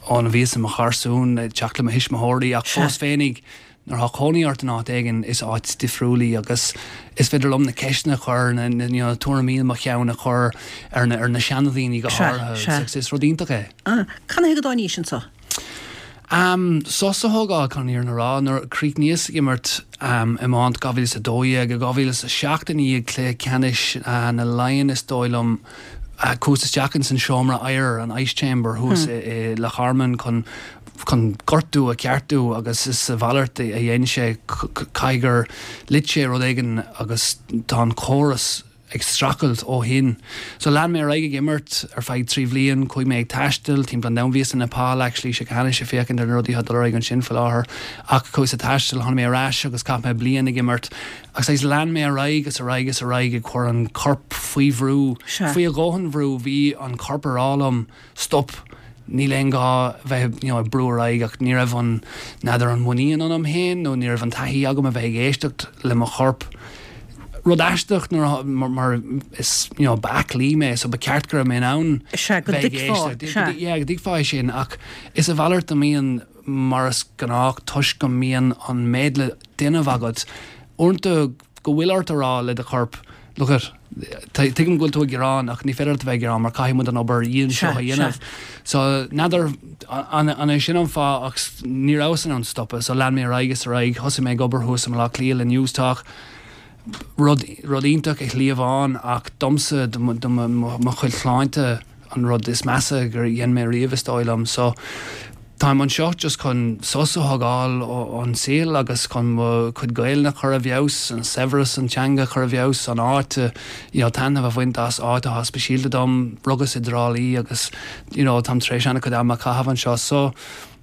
ón a bhíos i mo gharsún teacht le mo thuismitheoirí ach fós féinig nuair atá cónaí ort in áit éigin is áit difriúil í agus is féidir liom na ceisteanna a chur na na you know, tuairimí i mo cheann a chur ar na ar na seandaoine go háirithe is rud iontach é. Ah, Cad chuige a dtáinís anseo? Um, sos a thógáil chun an fhírinne a rá nuair chríochnaíos ag imirt um, iomáint dhá mhíle is a dó dhéag dhá mhíle is a seacht i ndiaidh cluiche ceannais uh, na Laighean is dóigh liom uh, chuas isteach in san seomra oighir an ice chamber thuas hmm. i, i Loch Garman chun chun gortú a cheartú agus is a mhalairt a dhein sé caithfidh gur lit sé rud éigin agus tá an córas ag streachailt ó shin. So lean mé ar aghaidh ag imirt ar feadh trí bhliain, chuaigh mé ag taisteal timpeall an domhain bhíos in Nepal actually sé cheana sé féachaint ar na rudaí atá dul ar aghaidh ansin faoi láthair ach chuas ag taisteal tháinig mé ar ais agus chaith mé bliain ag imirt agus agus lean mé ar aghaidh agus ar aghaidh agus ar aghaidh ag cur an corp faoi bhrú faoi a dhóthain bhrú bhí an corp ag rá liom stop níl aon gá bheith you know, ag brú ar aghaidh ach ní raibh an n'fheadar an muinín ionam féin nó ní raibh an taithí agam a bheith ag éisteacht le mo chorp. Rud aisteach nuair mar, mar is you know, b'aclaí mé so ba ceart go raibh mé in ann Sea, go bheith ag dtuigfeá, éisteacht. sea. Yeah, go dtuigfeá é sin ach is a mhalairt a mbíonn mar is gnách toisc go mbíonn an méid le déanamh agat uaireanta go bhfuil ort a rá le do chorp look at tuigim go bhfuil tú ag gearán ach ní féidir leat a bheith ag gearán mar caithfidh muid an obair dhian seo a Sea, dhéanamh. So n'fheadar an an é sin an fáth ach ní rabhas in ann stopadh so lean mé ar aghaidh is ar aghaidh thosaigh mé ag obair thuas i mBaile Átha Cliath le Newstalk rud rud iontach i shlí amháin ach domsa do mo do mo mo chuid sláinte an rud is measa gur dhein mé riamh is dóigh liom so táim anseo just chun sos a thógáil ón saol agus chun mo chuid Gaeilge a chur i bhfeabhas an saibhreas an teanga chur i bhfeabhas an áit you know, taitneamh a bhaint as áit atá speisialta dom rugas i dTrá Lí agus you know, táim tar éis an-chuid ama a chaitheamh anseo so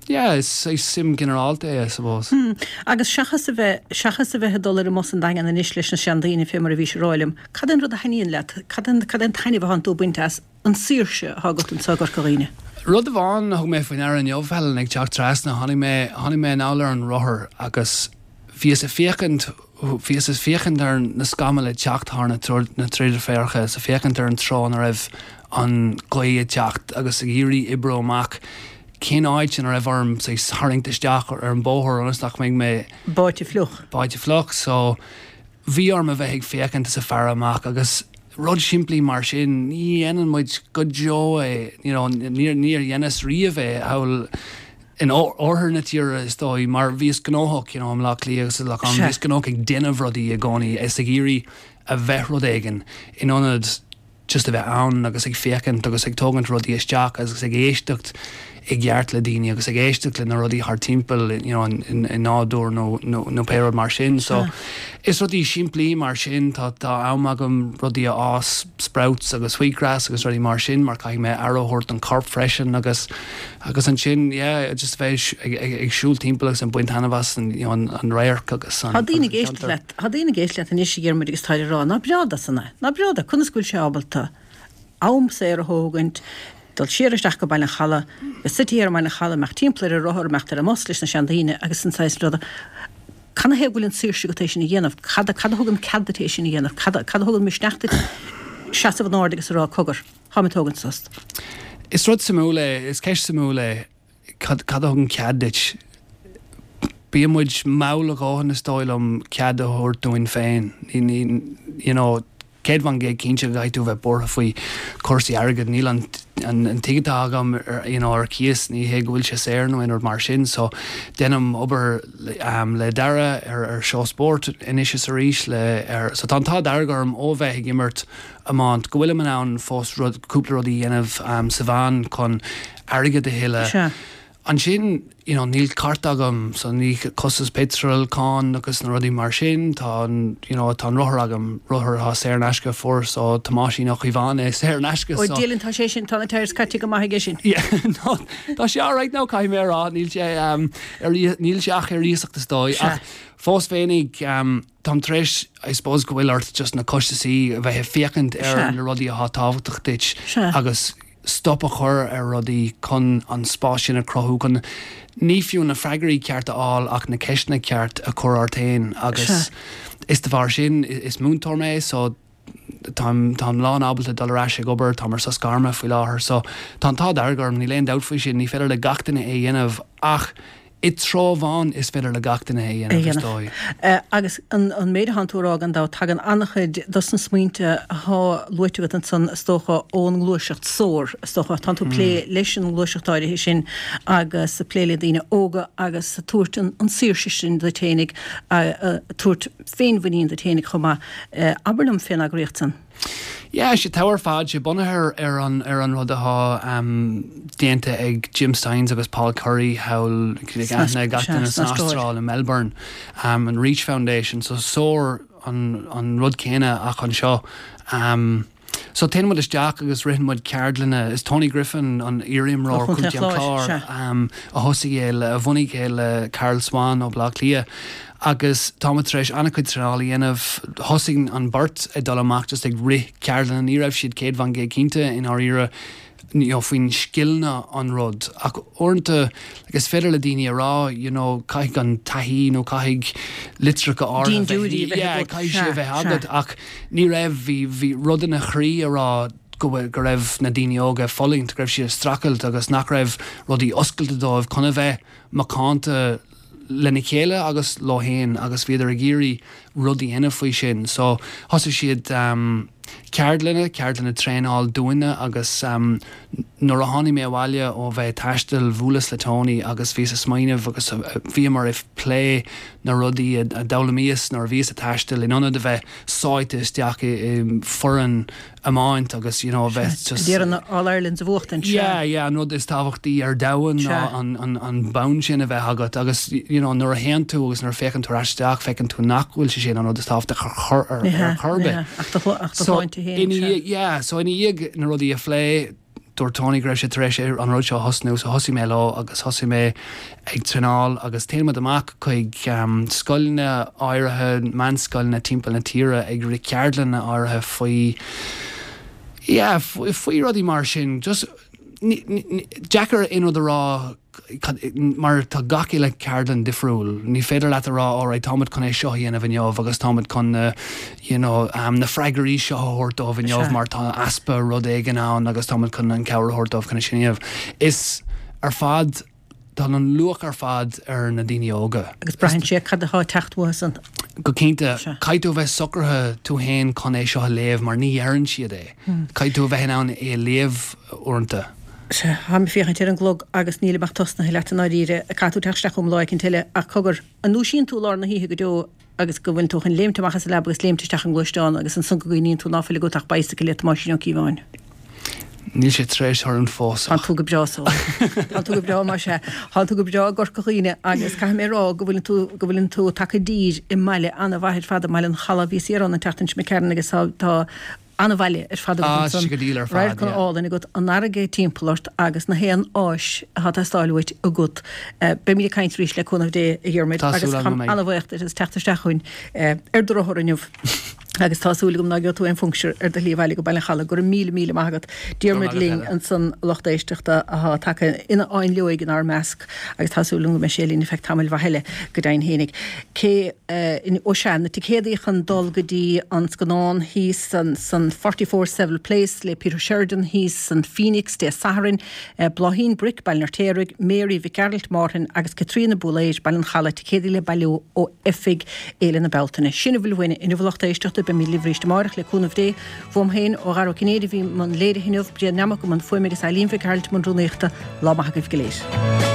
yeah, is is suim ginearálta é I suppose. Hmm. Agus seachas a bheith seachas a bheith ag dul ar an mbus an Daingean anois leis na seandaoine fé mar a bhí sé rá liom, cad é an rud a thaitníonn leat, cad é cad é an taitneamh atánn tú ag baint as an saoirse atá agat anseo i gCorca Dhuibhne. Rud amháin a thug mé faoi deara inniu Helen ag teacht trasna tháinig mé tháinig mé anall ar an rothar agus bhíos ag féachaint bhíos ag féachaint ar na scamaill ag teacht thar na na traidhféarcha sa féachaint ar an treo ina raibh an ghaoth ag teacht agus ag iarraidh oibriú amach cén áit ina raibh orm say tharraingt isteach ar an bóthar ionas nach mbeidh mé Báite fliuch. báite fliuch so bhí orm a bheith ag féachaint is ag faire amach agus rud simplí mar sin ní dhéanann muid go deo é you know, níor níor dheineas riamh é thall in oirthear na tíre is dóigh mar bhíos gnóthach you know, i mBaile Átha Cliath agus le Sea. bhíos gnóthach ag déanamh rudaí i gcónaí is ag iarraidh a bheith rud éigin in ionad just a bheith ann agus ag féachaint agus ag tógaint rudaí isteach agus ag éisteacht i gceart le daoine agus ag éisteacht le na rudaí thar timpeall you know, in, in, in nádúr nó nó, nó pé rud mar sin so is rudaí simplí mar sin tá tá am agam rudaí a fhás sprouts agus wheatgrass agus rudaí mar sin mar caithfidh mé aire a thabhairt don corp freisin agus agus ansin yeah, just bheith ag, ag, ag siúl timpeall agus an baint taitneamh as an, you know, an, an radharc agus an Tá daoine agus ag an éisteacht ceantar. leat, tá daoine ag éisteacht leat anois a Dhiarmuid agus tá ag rá ná breá san é, ná breá conas go bhfuil sé ábalta am saor a thógaint, dul siar isteach go Baile an Chalaidh, bheith suite ar an mBaile an Chalaidh, imeacht timpeall ar an rothar, imeacht ar an mbus leis na seandaoine agus an saghas ruda. Cad chuige bhfuil an saoirse agat é sin a dhéanamh, cad cad a thugann cead duit é sin a dhéanamh, cad cad a thugann misneach duit seasamh in airde agus a rá cogar, Táim ag tógaint sos. Is rud suimiúil é, is ceist suimiúil é cad cad a thugann cead duit Bíonn muid mall a dhóthain is dóigh liom cead a thabhairt dúinn féin. Ní, ní, you know, céad faoin gcéad cinnte go gcaithfidh tú a bheith buartha faoi chúrsaí airgid. Níl an, an, an tigh atá agam ar, you know, ar cíos, ní hé go bhfuil sé saor nó aon rud mar sin. So déanaim obair um, le Dara ar, ar seó spóirt anois is arís le, ar, so tá an t-ádh dearg orm ó bheith ag imirt iomáint go bhfuilim in ann fós rud, cúpla rudaí a dhéanamh um, sa mheán chun airgead a thuilleadh. Sea. Ansin, you know, níl cárta agam, so ní costas petrol, cáin agus na rudaí mar sin, tá an, you know, tá an rothar agam, rothar atá saor in aisce a fuair so Tomáisín Ó Caomháin é saor in aisce, Ó so. Dylan, tá sé sin, tá na tyres caite go maith aige sin. Yeah, no, tá sé alright now, caithfidh mé a rá, níl sé, um, ar, níl sé ach ar iasacht is dóigh, Sea. ach fós féinig, um, táim tar éis, I suppose go bhfuil ort just na costasaí a bheith ag féachaint ar Sea. na rudaí atá tábhachtach duit Sea. agus stop a chur ar rudaí chun an spás sin a chruthú chun ní fiú na freagraí ceart a fháil ach na ceisteanna ceart a chur ort féin agus is de bharr sin is múinteoir mé so táim táim lán ábalta dul ar ais ag obair, táim ar sos gairme faoi láthair so tá an t-ádh dearg orm, níl aon dabht faoi sin, ní féidir le gach duine é a dhéanamh ach i dtreo amháin is féidir le gach duine é a dhéanamh, is dóigh. Agus an méid atánn tú a rá gan dabht, tagann an-chuid dos na smaointe athá luaite agat ansan, is dócha, ón ngluaiseacht SOAR, is dócha. Tánn tú ag plé leis an ngluaiseacht áirithe sin agus ag plé le daoine óga agus ag tabhairt an saoirse sin duit fhéinig, ag tabhairt féinmhuinín duit fhéinig chomh maith. Abair liom fén eagraíocht san. Yeah, sé togha ar fad, sé bunaithe ar an ar an rud atá um, déanta ag Jim Stynes agus Paul Currie thall aithne ag gach duine san Astráil i Melbourne, um, an Reach Foundation, so SOAR an, an rud céanna ach anseo. Um, so téann muid isteach agus ritheann muid ceardlanna, is Tony Griffin an iarimreoir Ó Chontae Chontae an Chláir, Chláir, sea. um, a thosaigh é le, a bhunaigh é le Carl Swan ó Bhaile Átha Cliath. Agus táimid tar éis an-chuid traenáil a dhéanamh. Thosaigh an bheirt ag dul amach just ag rith ceardlanna, ní raibh siad céad faoin gcéad cinnte i ndáiríre you know, faoin scileanna an rud. Ach uaireanta like, is féidir le daoine a rá, you know, caithfidh an taithí nó caithfidh litreacha áirithe Dean Judy a bheith Yeah, agat. caithfidh sé a Sea, bheith sea. agat ach ní raibh bhí bhí rud ina chroí a rá go bhfuil go raibh na daoine óga ag fulaingt, go raibh siad ag streachailt agus nach raibh rudaí oscailte dóibh chun a bheith macánta lena chéile agus leo féin agus bhíodar ag iarraidh rud a dhéanamh faoi sin. So thosaigh siad um, ceardlanna, ceardlanna traenáil dúinne agus um, nuair a tháinig mé abhaile ó bheith ag taisteal bhuaileas le Tony agus bhíos ag smaoineamh agus uh, bhíomar ag plé na rudaí a, a d'fhoghlaimíos nuair a bhíos ag taisteal in ionad a bheith sáite isteach i, i foireann iomáint agus you know, a bheith just Ag iarraidh na All Irelands a bhuachtaint, sea. Yeah, yeah, an rud is tábhachtaí ar domhan ná Sea. an, an, an bonn sin a bheith agat agus you know, nuair a théann tú agus nuair a féachann tú ar ais isteach feiceann tú nach bhfuil sé sin an rud is tábhachtach ar chor ar, Ní hea, ar chor ar ní bith. hea, ach do ach do So, shláinte féin, ina sea. dhiaidh- yeah, so ina dhiaidh na rudaí a phlé, dúirt Tony go raibh sé tar éis an rud seo a thosnú, so thosaigh mé leo agus thosaigh mé ag traenáil agus téann muid amach chuig um, scoileanna áirithe, meánscoileanna timpeall na tíre ag rith ceardlanna áirithe faoi yeah, faoi, faoi rudaí mar sin. Just ní- ní- ní- deacair aon rud a rá cad- mar tá gach uile ceardlann difriúil. Ní féidir leat a rá alright, táimid chun é seo a dhéanamh inniu agus táimid chun na, you know, um, na freagraí seo a thabhairt dóibh inniu Sea. mar tá easpa rud éigin ann agus táimid chun an cabhair a thabhairt dóibh chun é sin a dhéanamh. Is ar fad tá an luach ar fad ar na daoine óga. Agus braitheann sé cad atá ag teacht uathu san. Go cinnte, Sea. caithfidh tú a bheith socraithe tú féin chun é seo a léamh mar ní dheireann siad é. Hmm. Caithfidh tú a bheith in ann é a léamh uaireanta. Sea, táim ag féachaint ar an gclog agus nílim ach tosnaithe leat i ndáiríre, caithfidh tú teacht isteach chugam lá éicint eile ach cogar, an ndúisíonn tú i lár na hoíche go deo agus go bhfuil tú chun léimt amach as an leaba agus léimt isteach i ngluaisteán agus ansan go gcuimhníonn tú ná fuil agat ach bicycle le Tomáisín Ó Cíobháin? Níl sé tar éis tarlúint fós Tá ach. tú go breá so. Tá tú go breá mar sé. Tá tú go breá i gCorca Dhuibhne agus caithfidh mé a rá go bhfuil tú go bhfuil tú tagtha i dtír i mbaile an-mhaith ar fad i mBaile an Chalaidh bhíos thiar ann an tseachtain seo imigh tharainn agus tá tá an-bhaile ar fad agat Ah, ansan. sé go diail ar fad, Radharc yeah. álainn agat, an fharraige timpeall ort agus na haon áis atá ag teastáil uait agat. Eh, Beimid ag caint arís le cúnamh Dé a Dhiarmuid Tá agus súil agam táim go mbeidh. an-bhuíoch duit as teacht isteach chugainn eh, ar do rothar inniu. Agus tá súil agam ná gheobhaidh tú aon phuncture ar do shlí abhaile go Baile an Chalaidh. Go raibh míle míle maith agat. Diarmuid linn ansan a lucht éisteachta athá tagtha ina fháinleoig inár measc agus tá súil agam go mbeidh sé linn ar feadh tamaill mhaith eile go deimhin fhéinig. Cé ó sea, na ticéadaí chun dul go dtí an scannán thíos san forty four Seville Place le Peter Sheridan thíos san Phoenix Dé Sathairn, Bláithín Bric, Baile an Fheirtéaraigh, Mary Mhic Gearailt, Márthain agus Caitríona Búlaeid, Baile an Chalaidh, ticéadaí le bailiú ó oifig Fhéile na Bealtaine. Sin a bhfuil uainn inniu a lucht éisteachta, beimid libh arís amárach le cúnamh Dé. Uaim féin, ó Dhara Ó Cinnéide a bhí i mbun léirithe inniu, Bréan Neamac i mbun fuaime agus Eileen Mhic Gearailt i mbun rúnaíochta. Lá maith agaibh go léir.